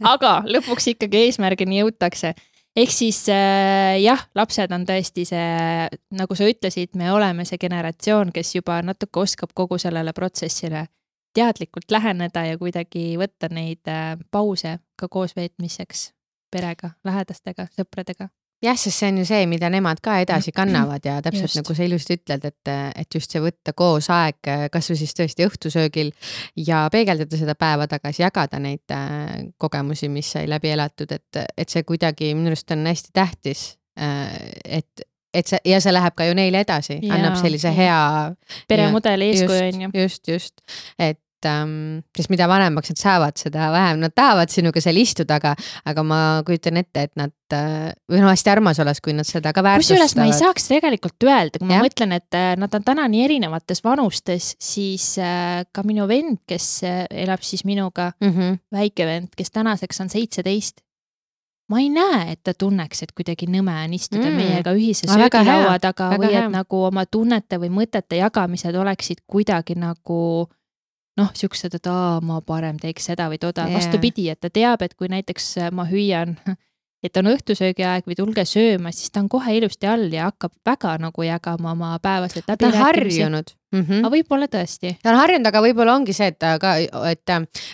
Aga lõpuks ikkagi eesmärgini jõutakse. Ehk siis äh, jah, lapsed on tõesti see, nagu sa ütlesid, me oleme see generatsioon, kes juba natuke oskab kogu sellele protsessile teadlikult läheneda ja kuidagi võtta neid äh, pause ka koos veetmiseks. Perega, lähedastega, sõpradega. Jah, sest see on ju see, mida nemad ka edasi kannavad ja täpselt just. Nagu sa ilusti ütled, et, et just see võtta koos aeg, kas või siis tõesti õhtusöögil ja peegeldada seda päeva tagasi, jagada neid kogemusi, mis sai läbi elatud, et, et see kuidagi minu arust on hästi tähtis, et, et see, ja see läheb ka ju neile edasi, ja, annab sellise hea peremudeli eeskuju on ju. Just, just, et ähm, sest mida vanemaks nad saavad, seda vähem nad tahavad sinuga seal istuda, aga, aga ma kujutan ette, et nad äh, või no hästi armas oles, kui nad seda ka väärtustavad. Kusjuures ma ei saaks tegelikult öelda, kui ma ja. mõtlen, et nad on täna nii erinevates vanustes, siis äh, ka minu vend, kes elab siis minuga, mm -hmm. väike vend, kes tänaseks on seitseteist, ma ei näe, et ta tunneks, et kuidagi nõme on istuda mm. meiega ühise söögilaua taga või et hea. Nagu oma tunnete või mõtete jagamised oleksid kuidagi nagu noh, siuksed, et aa, ma parem teeks seda või toda. Yeah. Vastupidi, et ta teab, et kui näiteks ma hüüan, et on õhtusöögiaeg või tulge sööma, siis ta on kohe ilusti all ja hakkab väga nagu jagama oma päevased läbirääkimisi. Ta on harjunud. Mm -hmm. Aga võib-olla tõesti. Ta on harjunud, aga võib-olla ongi see, et, aga, et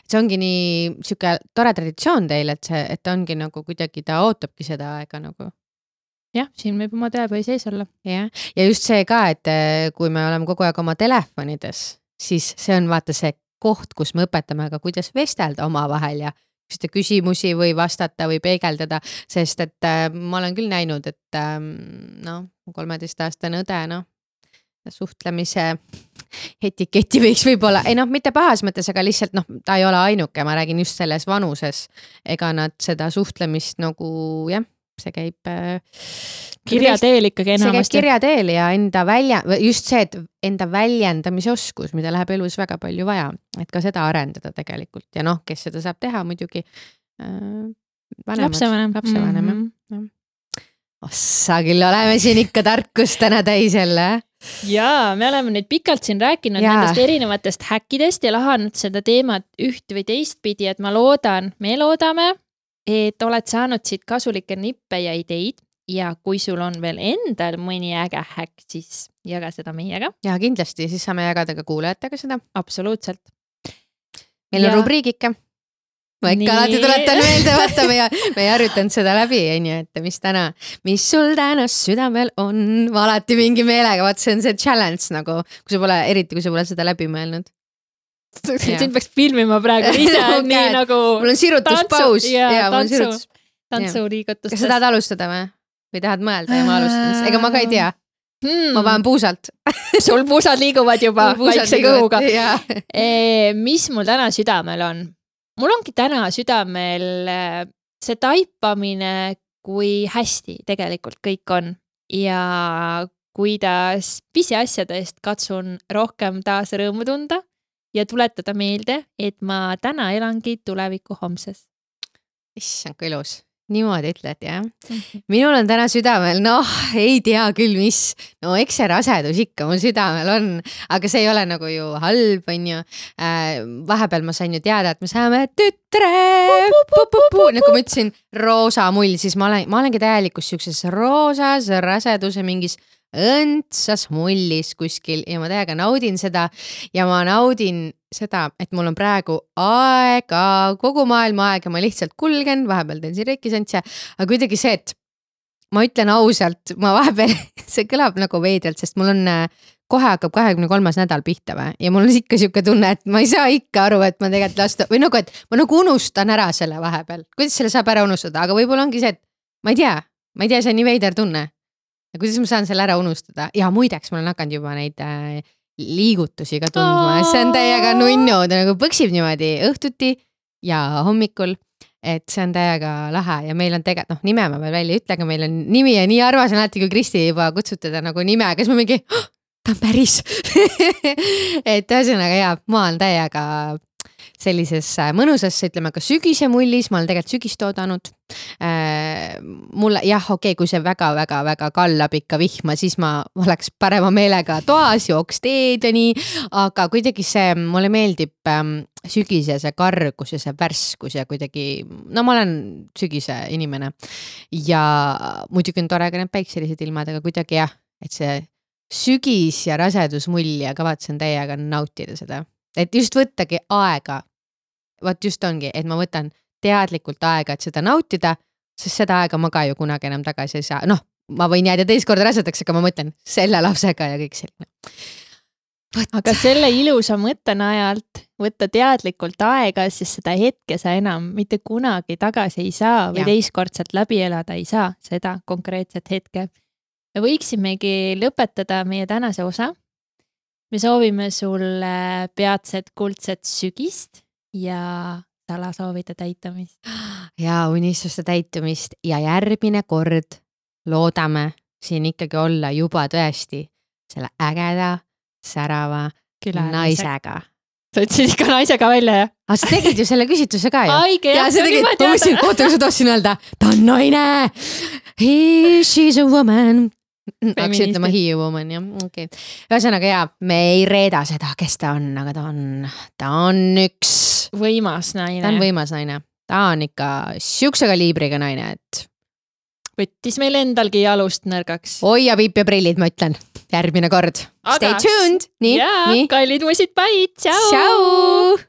see ongi nii siuke tore traditsioon teil, et see, et ongi nagu kuidagi, ta ootabki seda aega nagu. Jah, siin võib oma tööpõi sees olla. Ja. ja just see ka, et kui me oleme kogu aeg oma telefonides, siis see on vaata see koht, kus me õpetame ka, kuidas vestelda omavahel ja küsida küsimusi või vastata või peegeldada, sest et äh, ma olen küll näinud, et äh, noh, kolmeteistaastane õde, noh, suhtlemise etiketi võiks võib-olla, ei noh, mitte pahas mõttes, aga lihtsalt noh, ta ei ole ainuke, ma räägin just selles vanuses, ega nad seda suhtlemist nagu jah, see käib äh, kirjateel ikkagi enamasti. See käib kirjateel ja enda välja, just see, et enda väljendamise oskus, mida läheb elus väga palju vaja, et ka seda arendada tegelikult ja noh, kes seda saab teha muidugi äh, vanemad, lapsevanem, lapsevanem mm -hmm. ossa küll, oleme siin ikka tarkust täna täis jälle. Jaa, me oleme nüüd pikalt siin rääkinud ja. Nendest erinevatest häkkidest ja lahanud seda teemat üht või teistpidi, et ma loodan, me loodame, et oled saanud siit kasulikke nippe ja ideid ja kui sul on veel endal mõni äge häkk, siis jaga seda meiega. Ja kindlasti, siis saame jagada ka kuulajatega seda. Absoluutselt. Meil on ja... rubriigike. Ma ikka Nii. alati tuletan meelde, vaata, me, me ei harjutanud seda läbi, onju, et mis täna, mis sul täna südamel on, ma alati mingi meelega, vaata, see on see challenge nagu, kui sa pole, eriti kui sa pole seda läbi mõelnud. Siin peaks filmima praegu ise okay. nii nagu mul on sirutuspaus ja, ja tantsu, sirutus... tantsuliigutustes. Kas sa tahad alustada või? Või tahad mõelda ja ma alustan? Ega ma ka ei tea. Hmm. Ma panen puusalt. Sul puusad liiguvad juba vaikse kõhuga. E, mis mul täna südamel on? Mul ongi täna südamel see taipamine, kui hästi tegelikult kõik on ja kuidas pisiasjade eest katsun rohkem taas rõõmu tunda ja tuletada meelde, et ma täna elangi tuleviku homses. Issand, kui ilus. Niimoodi ütled, jah. Minul on täna südamel, noh, ei tea küll, mis. No eks see rasedus ikka mul südamel on, aga see ei ole nagu ju halb, on ju. Äh, vahepeal ma sain ju teada, et me saame tütre. Nagu ma ütlesin, roosa mull, siis ma, olen, ma olengi täielikus siukses roosas raseduse mingis õndsas mullis kuskil ja ma täiega naudin seda ja ma naudin seda, et mul on praegu aega, kogu maailma aeg ja ma lihtsalt kulgen, vahepeal teen siin reikisantse, aga kuidagi see, et ma ütlen ausalt, ma vahepeal, see kõlab nagu veidralt, sest mul on, kohe hakkab kahekümne kolmas nädal pihta või ja mul on ikka siuke tunne, et ma ei saa ikka aru, et ma tegelikult lasta, või nagu, et ma nagu unustan ära selle vahepeal, kuidas selle saab ära unustada, aga võib-olla ongi see, et ma ei tea, ma ei tea, see on nii veider tunne. Ja kuidas ma saan selle ära unustada? Ja muideks, ma olen hakanud juba neid äh, liigutusi ka tundma. See on täiega nunnu, ta nagu põksib niimoodi õhtuti ja hommikul, et see on täiega lahe ja meil on tegelikult, noh, nime ma veel välja ei ütle, aga meil on nimi ja nii arvas on alati, kui Kristi juba kutsutada nagu nime, kes ma mingi, oh, ta on päris. et ühesõnaga ja, ma olen täiega sellises mõnusasse, ütleme ka sügise mullis, ma olen tegelikult sügist oodanud. Äh, mulle, jah, okei, okay, kui see väga-väga-väga kallab ikka vihma, siis ma oleks parema meelega toas, jooks teed ja nii, aga kuidagi see, mulle meeldib ähm, sügise see kargus ja see värskus ja kuidagi, no ma olen sügise inimene ja muidugi on tore ka need päikselised ilmad, aga kuidagi jah, et see sügis ja rasedusmull ja kavatsen täiega nautida seda, et just võttagi aega. Vaat just ongi, et ma võtan teadlikult aega, et seda nautida, sest seda aega ma ka ju kunagi enam tagasi ei saa. Noh, ma võin jääda teist korda rasedaks, aga ma mõtlen selle lapsega ja kõik selline. Võt. Aga selle ilusa mõttenajalt võtta teadlikult aega, siis seda hetke sa enam mitte kunagi tagasi ei saa või ja. Teistkordselt läbi elada ei saa seda konkreetset hetke. Me võiksimegi lõpetada meie tänase osa me soovime sulle peatset kuldset sügist ja salasoovide täitumist. Ja unistuste täitumist ja järgmine kord loodame siin ikkagi olla juba tõesti selle ägeda, särava Küla naisega. Sa ütlesid ikka naisega välja, jah? Aga sa tegid ju selle küsitluse ka ju. Aige, jah, see tegid, ma mõtlesin, oota, kui sa tahtsin öelda, ta on naine. He, she's a woman. Hakkas ütlema he a woman, jah. Okay. Ühesõnaga, jaa, me ei reeda seda, kes ta on, aga ta on, ta on üks võimas naine. Ta on võimas naine. Ta on ikka siukse kaliibriga naine, et võttis meil endalgi jalust nõrgaks. Hoia piip ja prillid, ma ütlen. Järgmine kord. Stay tuned. Nii, ja, nii. kallid musid, bye. Tšau. Tšau.